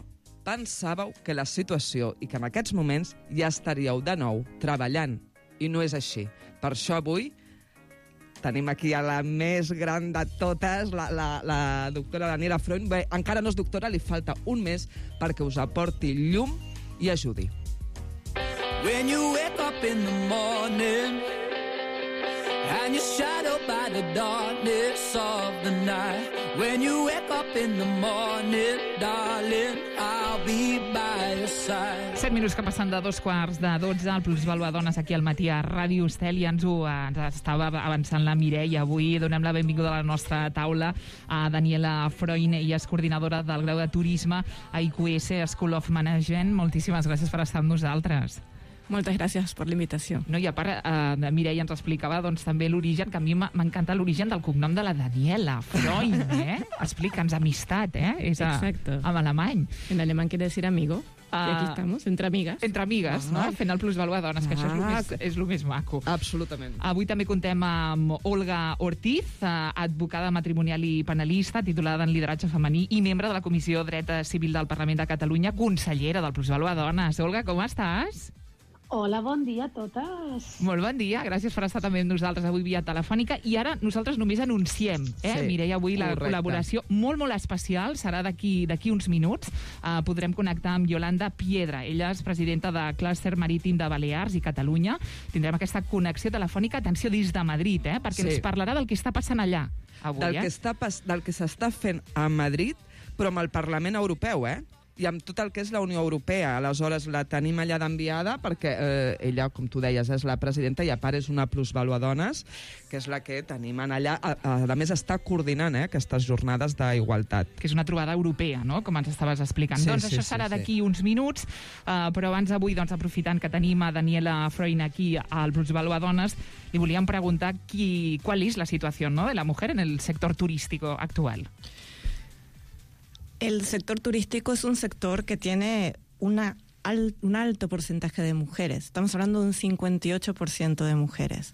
pensàveu que la situació i que en aquests moments ja estaríeu de nou treballant. I no és així. Per això avui tenim aquí a la més gran de totes, la doctora Daniela Freund. Bé, encara no és doctora, li falta un mes perquè us aporti llum i ajudi. When you wake up in the morning and you're shadowed by the darkness of the night. When you wake up in the morning, darling, I'll be by your side. 7 minuts que passen de 2:45 al Plusvàlua Dones aquí al matí a Ràdio Estel, i ens estava avançant la Mireia. Avui donem la benvinguda a la nostra taula a Daniela Freund, ella és coordinadora del grau de turisme a IQS School of Management. Moltíssimes gràcies per estar amb nosaltres. Moltes gràcies per l'invitació. No, i a part, Mireia ens explicava també l'origen, que a mi m'encanta l'origen del cognom de la Daniela Freund, Explica'ns, amistat, És Exacto. En alemany. En alemán quiere decir amigo. Y aquí estamos, entre amigas. Entre amigues, no? Fent el Plusvàlua Dones, que això és el més maco. Absolutament. Avui també contem amb Olga Ortiz, advocada matrimonial i penalista, titulada en lideratge femení i membre de la Comissió Dret Civil del Parlament de Catalunya, consellera del Plusvàlua Dones. Olga, com estàs? Hola, bon dia a totes. Molt bon dia, gràcies per estar també amb nosaltres avui via telefònica. I ara nosaltres només anunciem, Mireia, avui la col·laboració molt, molt especial, serà d'aquí uns minuts. Podrem connectar amb Yolanda Piedra. Ella és presidenta de Clúster Marítim de Balears i Catalunya. Tindrem aquesta connexió telefònica, atenció, des de Madrid, perquè ens parlarà del que està passant allà avui. Del que s'està fent a Madrid, però amb el Parlament Europeu, i amb tot el que és la Unió Europea. Aleshores, la tenim allà d'enviada perquè ella, com tu deies, és la presidenta i a part és una Plusvàlua Dones, que és la que tenim allà. A més, està coordinant aquestes jornades d'igualtat. Que és una trobada europea, no?, com ens estaves explicant. Doncs això serà d'aquí uns minuts, però abans avui, aprofitant que tenim a Daniela Freund aquí al Plusvàlua Dones, li volíem preguntar cuál és la situació, ¿no?, de la mujer en el sector turístico actual. El sector turístico es un sector que tiene un alto porcentaje de mujeres. Estamos hablando de un 58% de mujeres.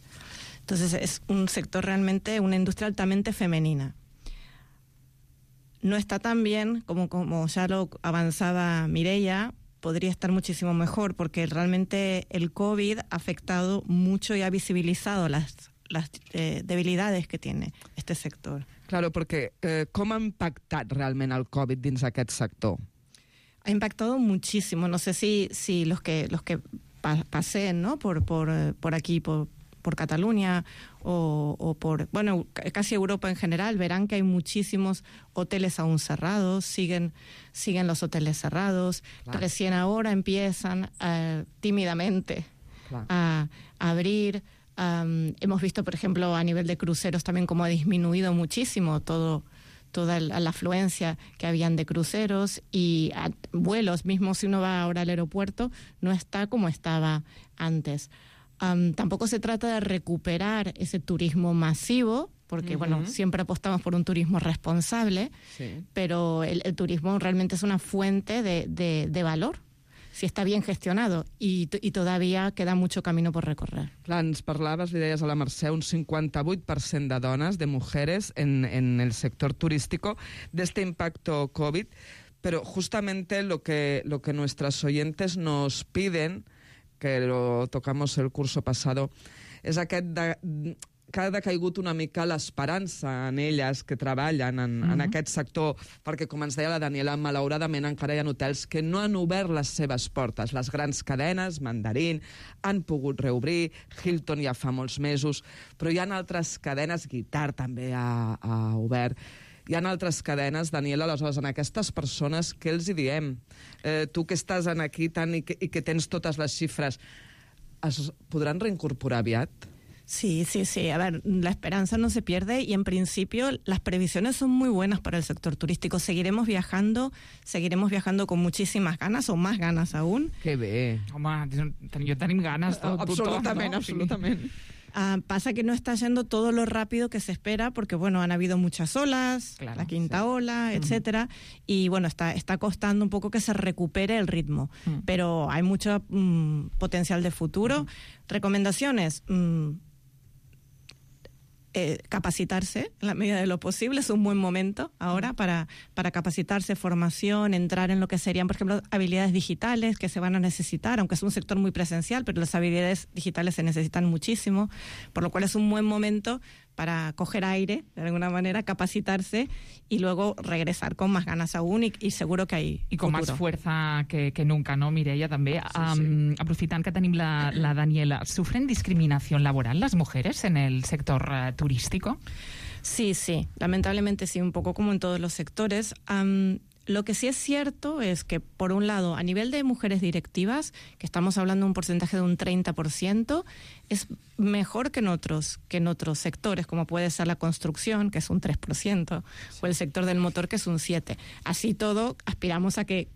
Entonces es un sector realmente, una industria altamente femenina. No está tan bien como ya lo avanzaba Mireia, podría estar muchísimo mejor, porque realmente el COVID ha afectado mucho y ha visibilizado las debilidades que tiene este sector. Claro, perquè com ha impactat realment el Covid dins aquest sector? Ha impactado muchísimo. No sé si los que paseen, ¿no? por aquí, por Cataluña o por, bueno, casi Europa en general, verán que hay muchísimos hoteles aún cerrados, siguen los hoteles cerrados, claro. Recién ahora empiezan tímidamente claro. a abrir. Hemos visto, por ejemplo, a nivel de cruceros también cómo ha disminuido muchísimo toda la afluencia que habían de cruceros y vuelos, mismo si uno va ahora al aeropuerto, no está como estaba antes. Tampoco se trata de recuperar ese turismo masivo, porque bueno, siempre apostamos por un turismo responsable, sí. Pero el turismo realmente es una fuente de valor, si està bien gestionado, y todavía queda mucho camino por recorrer. Clar, ens parlaves, li deies a la Mercè, un 58% de dones, de mujeres, en el sector turístico, de este impacto COVID, pero justamente lo que nuestras oyentes nos piden, que lo tocamos el curso pasado, és aquest que ha decaigut una mica l'esperança en elles que treballen en aquest sector, perquè, com ens deia la Daniela, malauradament encara hi ha hotels que no han obert les seves portes. Les grans cadenes, Mandarín, han pogut reobrir, Hilton ja fa molts mesos, però hi ha altres cadenes, Guitar també ha obert. Hi ha altres cadenes, Daniela, aleshores, en aquestes persones, què els hi diem? Tu que estàs aquí tant i que tens totes les xifres, es podran reincorporar aviat? Sí. A ver, la esperanza no se pierde y en principio las previsiones son muy buenas para el sector turístico. Seguiremos viajando con muchísimas ganas o más ganas aún. Que bé. Home, jo tenim ganes. Absolutament. Pasa que no está yendo todo lo rápido que se espera porque, bueno, han habido muchas olas, claro, la quinta ola, etcétera, y, bueno, está costando un poco que se recupere el ritmo, pero hay mucho potencial de futuro. Recomendaciones, capacitarse en la medida de lo posible, es un buen momento ahora para capacitarse, formación, entrar en lo que serían, por ejemplo, habilidades digitales que se van a necesitar, aunque es un sector muy presencial, pero las habilidades digitales se necesitan muchísimo, por lo cual es un buen momento para coger aire, de alguna manera, capacitarse y luego regresar con más ganas aún y seguro que hay I con futuro. más fuerza que nunca, ¿no, Mireia? També, sí. Aprofitant que tenim la Daniela, ¿sufren discriminación laboral las mujeres en el sector turístico? Sí, lamentablemente sí, un poco como en todos los sectores. Lo que sí es cierto es que, por un lado, a nivel de mujeres directivas, que estamos hablando de un porcentaje de un 30%, es mejor que en otros sectores, como puede ser la construcción, que es un 3%, o el sector del motor, que es un 7%. Así todo, aspiramos a que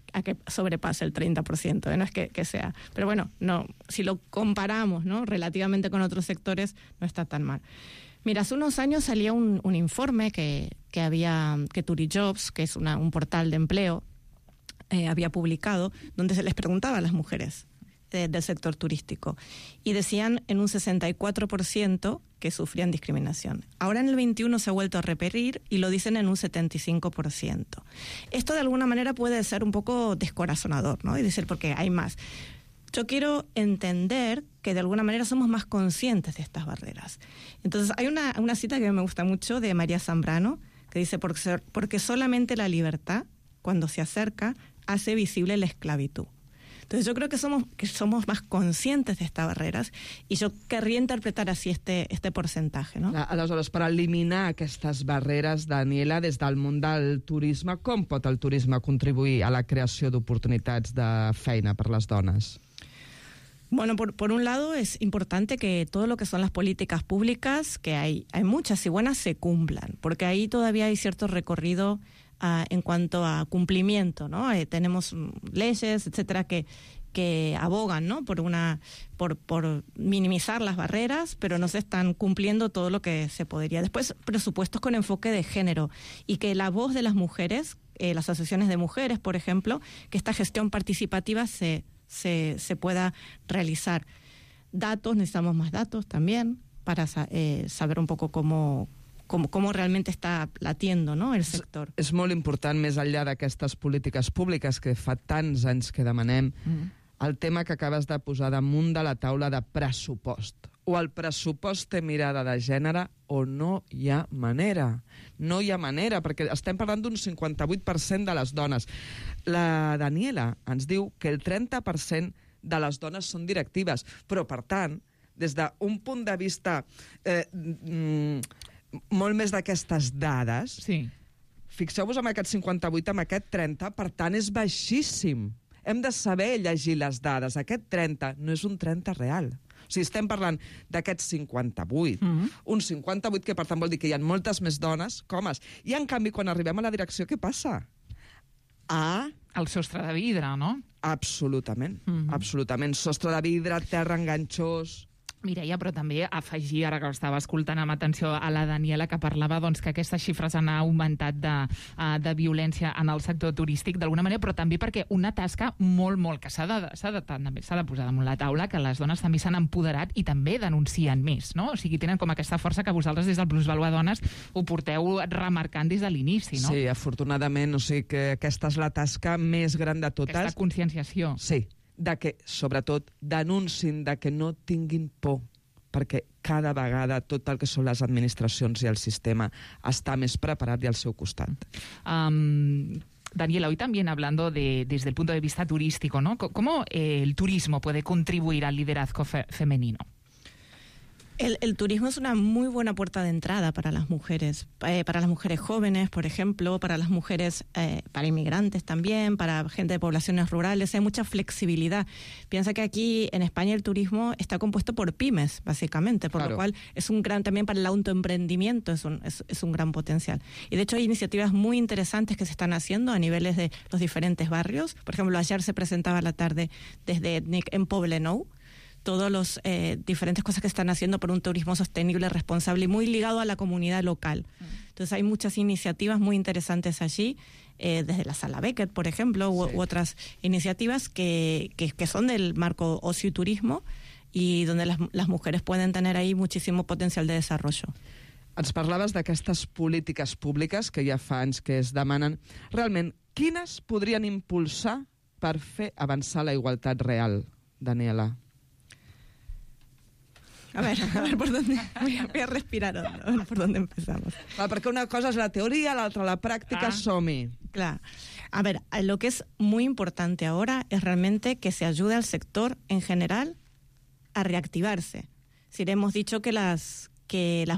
sobrepase el 30%, no es que sea. Pero bueno, no, si lo comparamos, ¿no?, relativamente con otros sectores, no está tan mal. Mira, hace unos años salía un informe que Turijobs, que es un portal de empleo, había publicado, donde se les preguntaba a las mujeres del sector turístico. Y decían en un 64% que sufrían discriminación. Ahora en el 21 se ha vuelto a repetir y lo dicen en un 75%. Esto de alguna manera puede ser un poco descorazonador, ¿no? Y decir, porque hay más. Yo quiero entender que de alguna manera somos más conscientes de estas barreras. Entonces hay una cita que me gusta mucho de María Zambrano, que dice, porque solamente la libertad, cuando se acerca, hace visible la esclavitud. Entonces yo creo que somos más conscientes de estas barreras y yo querría interpretar así este porcentaje, no? Aleshores, per eliminar aquestes barreres, Daniela, des del món del turisme, com pot el turisme contribuir a la creació d'oportunitats de feina per les dones? Bueno, por un lado es importante que todo lo que son las políticas públicas, que hay muchas y buenas, se cumplan, porque ahí todavía hay cierto recorrido en cuanto a cumplimiento, ¿no? Tenemos leyes, etcétera, que que abogan, ¿no?, por minimizar las barreras, pero no se están cumpliendo todo lo que se podría. Después, presupuestos con enfoque de género y que la voz de las mujeres, las asociaciones de mujeres, por ejemplo, que esta gestión participativa se pueda realizar. Datos, necesitamos más datos también para saber un poco cómo realment està latiendo, no?, el sector. És molt important, més enllà d'aquestes polítiques públiques que fa tants anys que demanem, el tema que acabes de posar damunt de la taula de pressupost. O el pressupost té mirada de gènere o no hi ha manera. No hi ha manera, perquè estem parlant d'un 58% de les dones. La Daniela ens diu que el 30% de les dones són directives, però, per tant, des d'un punt de vista molt més d'aquestes dades, fixeu-vos en aquest 58, amb aquest 30, per tant, és baixíssim. Hem de saber llegir les dades. Aquest 30 no és un 30 real. O sigui, estem parlant d'aquest 58. Un 58 que, per tant, vol dir que hi ha moltes més dones que homes. I, en canvi, quan arribem a la direcció, què passa? El sostre de vidre, no? Absolutament. Absolutament. Sostre de vidre, terra enganxós... Mireia, però també afegir, ara que estava escoltant amb atenció a la Daniela, que parlava doncs, que aquestes xifres han augmentat de violència en el sector turístic, d'alguna manera, però també perquè una tasca molt, molt que s'ha de posar damunt la taula, que les dones també s'han empoderat i també denuncien més, no? O sigui, tenen com aquesta força que vosaltres des del Plusvalua Dones ho porteu remarcant des de l'inici, no? Sí, afortunadament, o sigui que aquesta és la tasca més gran de totes. Aquesta conscienciació. Sí, de que, sobretot, denuncin de que no tinguin por, perquè cada vegada tot el que són les administracions i el sistema està més preparat i al seu costat. Daniela, hoy también hablando desde el punto de vista turístico, ¿no? ¿Cómo el turismo puede contribuir al liderazgo femenino? El turismo es una muy buena puerta de entrada para las mujeres jóvenes, por ejemplo, para las mujeres, para inmigrantes también, para gente de poblaciones rurales. Hay mucha flexibilidad. Piensa que aquí en España el turismo está compuesto por pymes, básicamente, por lo cual es un gran, también para el autoemprendimiento es un gran potencial. Y de hecho hay iniciativas muy interesantes que se están haciendo a niveles de los diferentes barrios. Por ejemplo, ayer se presentaba a la tarde desde ETNIC en Poblenou, todas las diferentes cosas que están haciendo por un turismo sostenible, responsable y muy ligado a la comunidad local. Entonces hay muchas iniciativas muy interesantes allí, desde la Sala Beckett, por ejemplo, u otras iniciativas que son del marco ocio y turismo y donde las mujeres pueden tener ahí muchísimo potencial de desarrollo. Ens parlaves d'aquestes polítiques públiques que ja fa anys que es demanen. Realment, quines podrien impulsar per fer avançar la igualtat real, Daniela? A ver por dónde voy a respirar hondo, a ver por dónde empezamos. Perquè una cosa és la teoria, l'altra la práctica, som-hi. Claro. A ver, lo que es muy importante ahora es realmente que se ayude al sector en general a reactivarse. Si le hemos dicho que las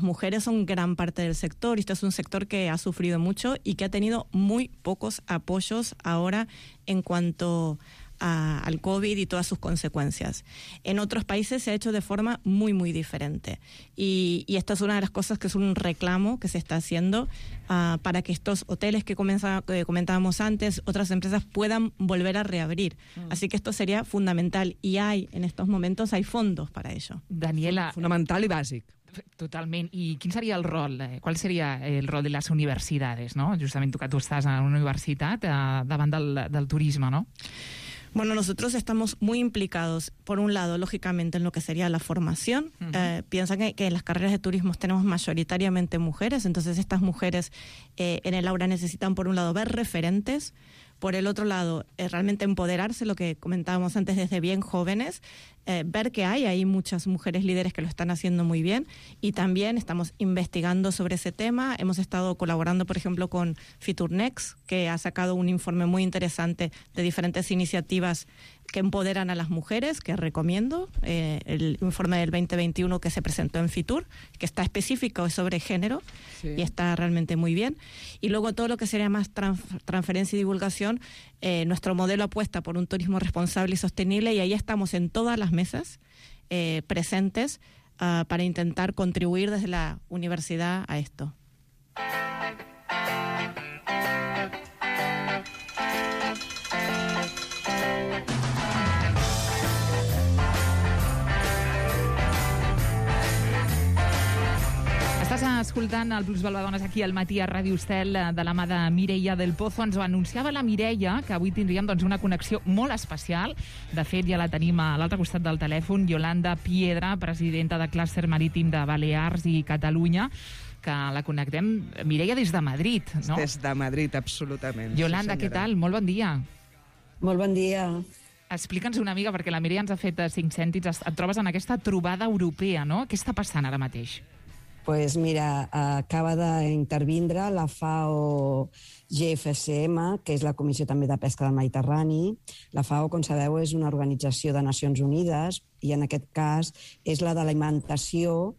mujeres son gran parte del sector, y esto es un sector que ha sufrido mucho y que ha tenido muy pocos apoyos ahora en cuanto al COVID y todas sus consecuencias. En otros países se ha hecho de forma muy, muy diferente. Y esta es una de las cosas que es un reclamo que se está haciendo para que estos hoteles que comentábamos antes, otras empresas puedan volver a reabrir. Así que esto sería fundamental y en estos momentos hay fondos para ello. Daniela... Fundamental i bàsic. Totalment. I quin seria el rol? Qual seria el rol de les universitats, no? Justament tu estàs en una universitat davant del turisme, no? Bueno, nosotros estamos muy implicados, por un lado, lógicamente, en lo que sería la formación. Piensa que en las carreras de turismo tenemos mayoritariamente mujeres, entonces estas mujeres en el aula necesitan, por un lado, ver referentes, por el otro lado, realmente empoderarse, lo que comentábamos antes, desde bien jóvenes, ver que hay ahí muchas mujeres líderes que lo están haciendo muy bien, y también estamos investigando sobre ese tema. Hemos estado colaborando, por ejemplo, con Fiturnex, que ha sacado un informe muy interesante de diferentes iniciativas que empoderan a las mujeres, que recomiendo, el informe del 2021 que se presentó en Fitur, que está específico sobre género, y está realmente muy bien. Y luego todo lo que sería más transferencia y divulgación, nuestro modelo apuesta por un turismo responsable y sostenible, y ahí estamos en todas las mesas presentes para intentar contribuir desde la universidad a esto. escoltant el Plusvalua-Dones aquí al matí a Ràdio Estel de la mà de Mireia del Pozo. Ens ho anunciava la Mireia, que avui tindríem una connexió molt especial. De fet, ja la tenim a l'altre costat del telèfon, Yolanda Piedra, presidenta de Clúster Marítim de Balears i Catalunya, que la connectem, Mireia, des de Madrid, no? Des de Madrid, absolutament. Yolanda, sí, què tal? Molt bon dia. Molt bon dia. Explica'ns una mica, perquè la Mireia ens ha fet 5 cèntims. Et trobes en aquesta trobada europea, no? Què està passant ara mateix? Pues mira, acaba d'intervindre la FAO GFCM, que és la Comissió també de Pesca del Mediterrani. La FAO, com sabeu, és una organització de Nacions Unides i en aquest cas és la de l'alimentació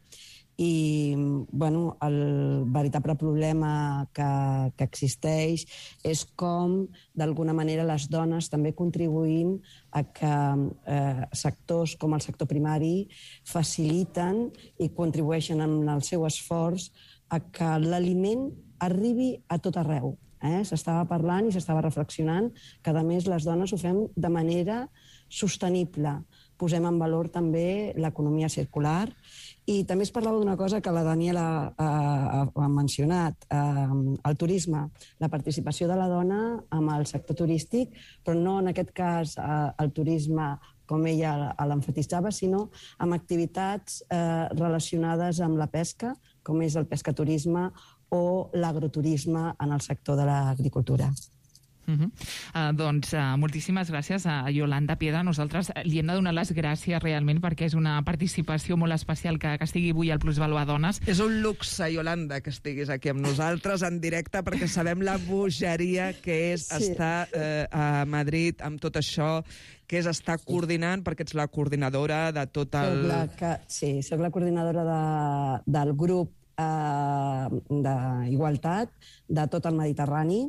i bueno, el veritable problema que existeix és com, d'alguna manera, les dones també contribuïm a que sectors com el sector primari faciliten i contribueixen amb el seu esforç a que l'aliment arribi a tot arreu. S'estava parlant i s'estava reflexionant que, a més, les dones ho fem de manera sostenible. Posem en valor també l'economia circular. I també es parlava d'una cosa que la Daniela ha mencionat, el turisme, la participació de la dona amb el sector turístic, però no en aquest cas el turisme com ella l'emfatitzava, sinó amb activitats relacionades amb la pesca, com és el pescaturisme o l'agroturisme en el sector de l'agricultura. Doncs moltíssimes gràcies a Yolanda Piedra. Nosaltres li hem de donar les gràcies realment perquè és una participació molt especial que estigui avui al Plusvalua-Dones. És un luxe, Yolanda, que estiguis aquí amb nosaltres en directe perquè sabem la bogeria que és estar a Madrid amb tot això, que és estar coordinant, perquè ets la coordinadora de tot el... Sí, soc la coordinadora del grup d'igualtat de tot el Mediterrani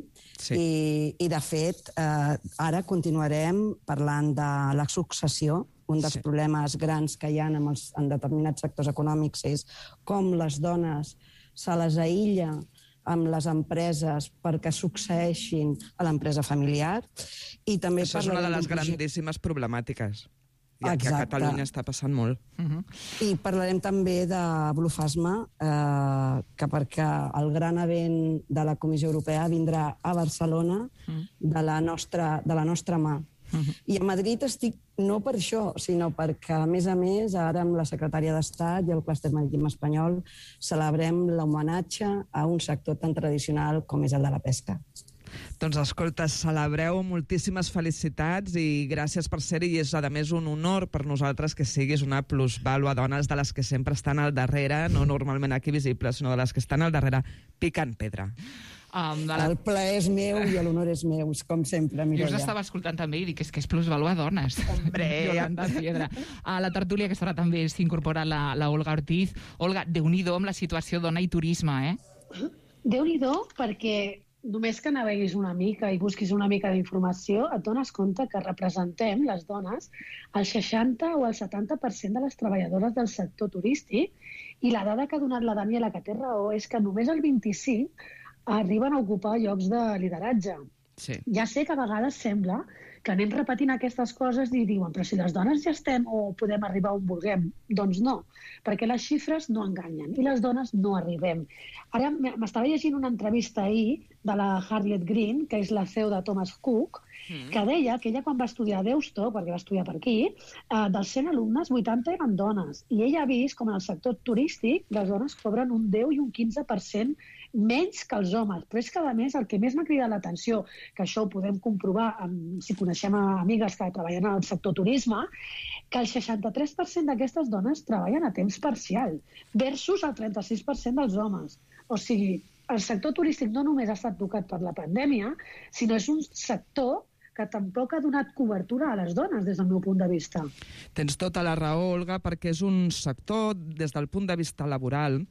i de fet ara continuarem parlant de la successió. Un dels problemes grans que hi ha en determinats sectors econòmics és com les dones se les aïlla amb les empreses perquè succeeixin a l'empresa familiar. I també això és una de les grandíssimes problemàtiques. I aquí a Catalunya està passant molt. I parlarem també de Bluefasma, que perquè el gran event de la Comissió Europea vindrà a Barcelona de la nostra mà. I a Madrid estic no per això, sinó perquè, a més, ara amb la secretària d'Estat i el Clúster Marítim Espanyol celebrem l'homenatge a un sector tan tradicional com és el de la pesca. Doncs escolta, celebreu, moltíssimes felicitats i gràcies per ser-hi, i és a més un honor per nosaltres que siguis una Plusvalua-Dones de les que sempre estan al darrere, no normalment aquí visibles, sinó de les que estan al darrere picant pedra. El plaer és meu i l'honor és meu, com sempre, Mireia. Jo us estava escoltant també i dic que és Plusvalua-Dones. Hombre! Yolanda Piedra. A la tertúlia aquesta hora també s'incorpora la Olga Ortiz. Olga, Déu-n'hi-do amb la situació dona i turisme, Déu-n'hi-do, perquè només que naveguis una mica i busquis una mica d'informació, et dones compte que representem, les dones, el 60 o el 70% de les treballadores del sector turístic, i la dada que ha donat la Daniela, que té raó, és que només el 25% arriben a ocupar llocs de lideratge. Sí. Ja sé que a vegades sembla que anem repetint aquestes coses i diuen, però si les dones ja estem o podem arribar on vulguem. Doncs no, perquè les xifres no enganyen i les dones no arribem. Ara m'estava llegint una entrevista ahir de la Harriet Green, que és la CEO de Thomas Cook, que deia que ella quan va estudiar a Deusto, perquè va estudiar per aquí, dels 100 alumnes, 80 eren dones. I ella ha vist com en el sector turístic les dones cobren un 10 i un 15% menys que els homes. Però és que, a més, el que més m'ha cridat l'atenció, que això ho podem comprovar si coneixem amigues que treballen al sector turisme, que el 63% d'aquestes dones treballen a temps parcial, versus el 36% dels homes. O sigui, el sector turístic no només ha estat tocat per la pandèmia, sinó és un sector que tampoc ha donat cobertura a les dones, des del meu punt de vista. Tens tota la raó, Olga, perquè és un sector, des del punt de vista laboral,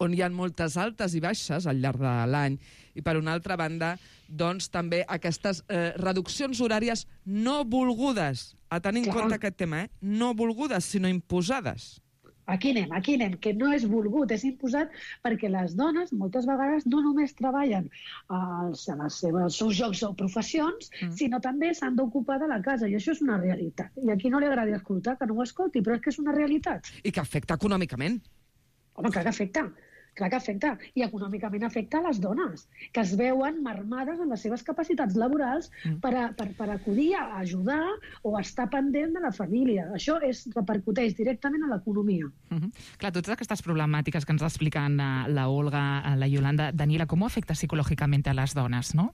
on hi ha moltes altes i baixes al llarg de l'any, i per una altra banda, doncs també aquestes reduccions horàries no volgudes, a tenir en compte aquest tema, no volgudes, sinó imposades. Aquí anem, que no és volgut, és imposat, perquè les dones moltes vegades no només treballen als seus jocs o professions, sinó també s'han d'ocupar de la casa, i això és una realitat. I a qui no li agradi escoltar, que no ho escolti, però és que és una realitat. I que afecta econòmicament. Home, clar que afecta. Clar que afecta. I econòmicament afecta a les dones, que es veuen marmades en les seves capacitats laborals per acudir a ajudar o a estar pendent de la família. Això repercuteix directament a l'economia. Clar, totes aquestes problemàtiques que ens expliquen la Olga, la Yolanda, Daniela, ¿cómo afecta psicológicamente a las donas, no?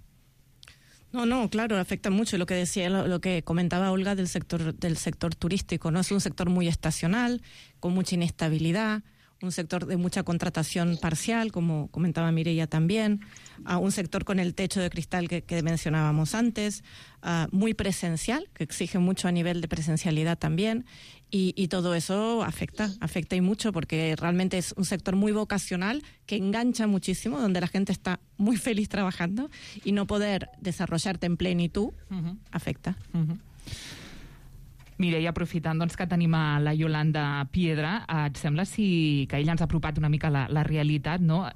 No, claro, afecta mucho. Lo que decía, lo que comentaba Olga del sector turístico, ¿no? Es un sector muy estacional, con mucha inestabilidad, un sector de mucha contratación parcial, como comentaba Mireia también, un sector con el techo de cristal que mencionábamos antes, muy presencial, que exige mucho a nivel de presencialidad también, y todo eso afecta y mucho, porque realmente es un sector muy vocacional que engancha muchísimo, donde la gente está muy feliz trabajando, y no poder desarrollarte en plenitud afecta. Mireia, aprofitant que tenim a la Yolanda Piedra, et sembla que ella ens ha apropat una mica la realitat, no?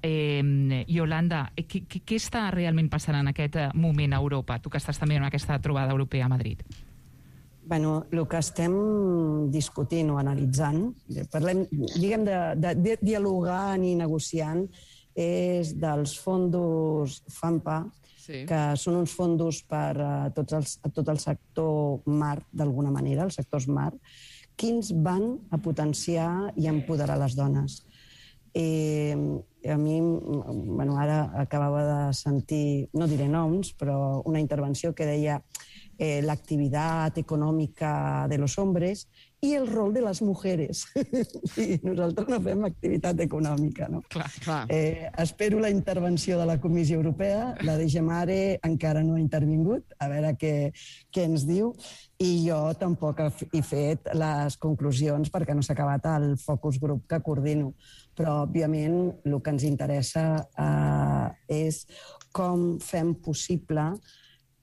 Yolanda, què està realment passant en aquest moment a Europa? Tu que estàs també en aquesta trobada europea a Madrid. Bueno, el que estem discutint o analitzant, diguem de dialogant i negociant, és dels fondos FAMPA, que són uns fondos per a tot el sector mar, d'alguna manera, els sectors mar, quins van a potenciar i empoderar les dones. A mi, ara acabava de sentir, no diré noms, però una intervenció que deia la actividad econòmica de los hombres i el rol de les mujeres. Sí, nosaltres no fem activitat econòmica, no? Clar. Espero la intervenció de la Comissió Europea, la de Gemare encara no ha intervingut, a veure què ens diu, i jo tampoc he fet les conclusions perquè no s'ha acabat el focus group que coordino. Però, òbviament, el que ens interessa és com fem possible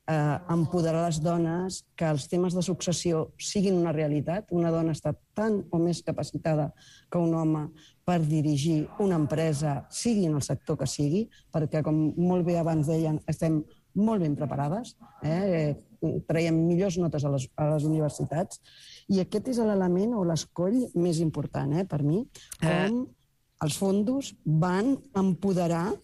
empoderar les dones, que els temes de successió siguin una realitat. Una dona està tan o més capacitada que un home per dirigir una empresa, sigui en el sector que sigui, perquè, com molt bé abans deien, estem molt ben preparades, traiem millors notes a les universitats, i aquest és l'element o l'escoll més important per mi, com els fondos van empoderar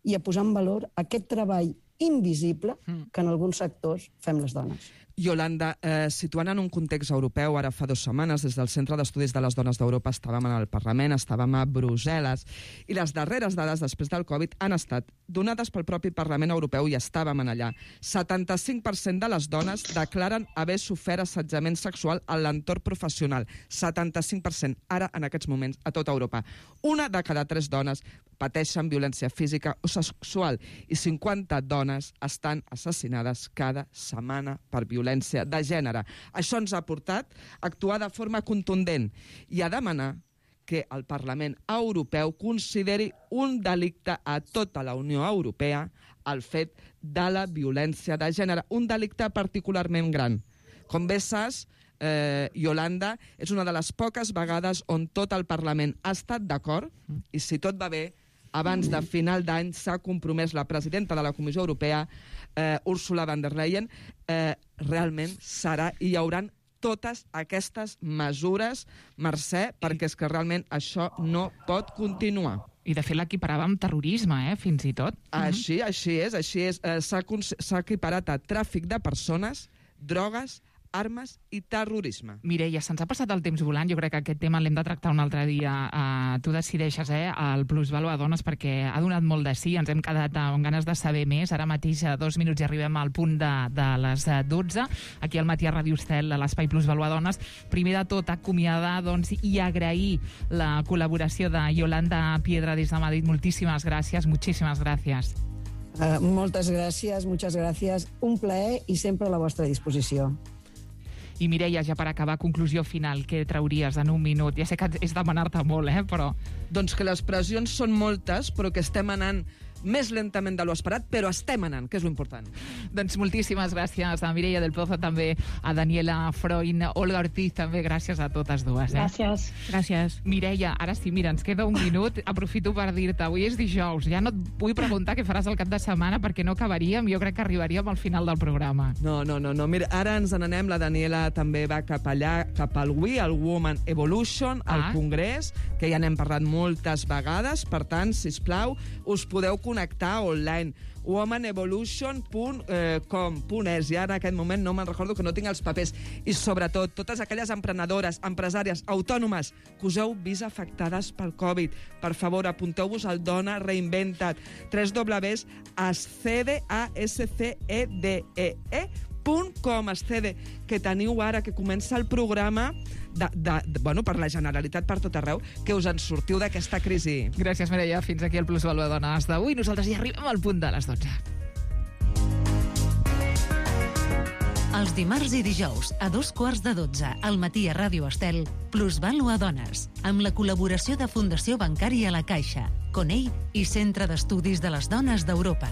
i a posar en valor aquest treball invisible que en alguns sectors fem les dones. Yolanda, situant en un context europeu, ara fa 2 setmanes, des del Centre d'Estudis de les Dones d'Europa estàvem en el Parlament, estàvem a Brussel·les, i les darreres dades després del Covid han estat donades pel propi Parlament Europeu i estàvem allà. 75% de les dones declaren haver sofert assetjament sexual en l'entorn professional. 75%, ara, en aquests moments, a tota Europa. 1 de cada 3 dones pateixen violència física o sexual i 50 dones estan assassinades cada setmana per violència de gènere. Això ens ha portat a actuar de forma contundent i a demanar que el Parlament Europeu consideri un delicte a tota la Unió Europea el fet de la violència de gènere, un delicte particularment gran. Com bé saps, Yolanda, és una de les poques vegades on tot el Parlament ha estat d'acord, i si tot va bé, abans de final d'any s'ha compromès la presidenta de la Comissió Europea, Ursula von der Leyen, realment serà i hi hauran totes aquestes mesures, Mercè, perquè és que realment això no pot continuar. I, de fet, l'equiparava amb terrorisme, fins i tot. Així és. S'ha equiparat a tràfic de persones, drogues, armes i terrorisme. Mireia, se'ns ha passat el temps volant. Jo crec que aquest tema l'hem de tractar un altre dia. Tu decideixes, el plusvalor a dones, perquè ha donat molt de sí. Ens hem quedat amb ganes de saber més. Ara mateix, a 2 minuts, i arribem al punt de les 12. Aquí al matí a Ràdio Estel, a l'espai plusvalor a dones. Primer de tot, acomiadar i agrair la col·laboració de Yolanda Piedra des de Madrid. Moltíssimes gràcies, muchísimas gracias. Moltes gràcies, muchas gracias. Un plaer i sempre a la vostra disposició. I Mireia, ja per acabar, conclusió final, què trauries en un minut? Ja sé que és demanar-te molt, però... Doncs que les pressions són moltes, però que estem anant més lentament de lo esperat, però estem anant, que és lo important. Doncs moltíssimes gràcies a Mireia del Pozo, també a Daniela Freund, Olga Ortiz, també gràcies a totes dues. Gràcies. Gràcies. Mireia, ara sí, mira, ens queda un minut. Aprofito per dir-te, avui és dijous. Ja no et vull preguntar què faràs el cap de setmana perquè no acabaríem. Jo crec que arribaríem al final del programa. No. Mira, ara ens n'anem. La Daniela també va cap allà, cap al WE, al Woman Evolution, al Congrés, que ja n'hem parlat moltes vegades. Per tant, sisplau, us podeu connectar online. womanevolution.com.es i ara en aquest moment no me'n recordo, que no tinc els papers. I sobretot, totes aquelles emprenedores, empresàries, autònomes que us heu vist afectades pel Covid, per favor, apunteu-vos al Dona Reinventa't, www.ascede.com, Ascede, que teniu ara, que comença el programa per la Generalitat per tot arreu, que us en sortiu d'aquesta crisi. Gràcies, Mireia. Fins aquí el Plusvalor de Dones d'avui. Nosaltres ja arribem al punt de les 12. Els dimarts i dijous, a 2:15 al matí a Ràdio Estel, Plusvalor Dones, amb la col·laboració de Fundació Bancària La Caixa, Conell i Centre d'Estudis de les Dones d'Europa.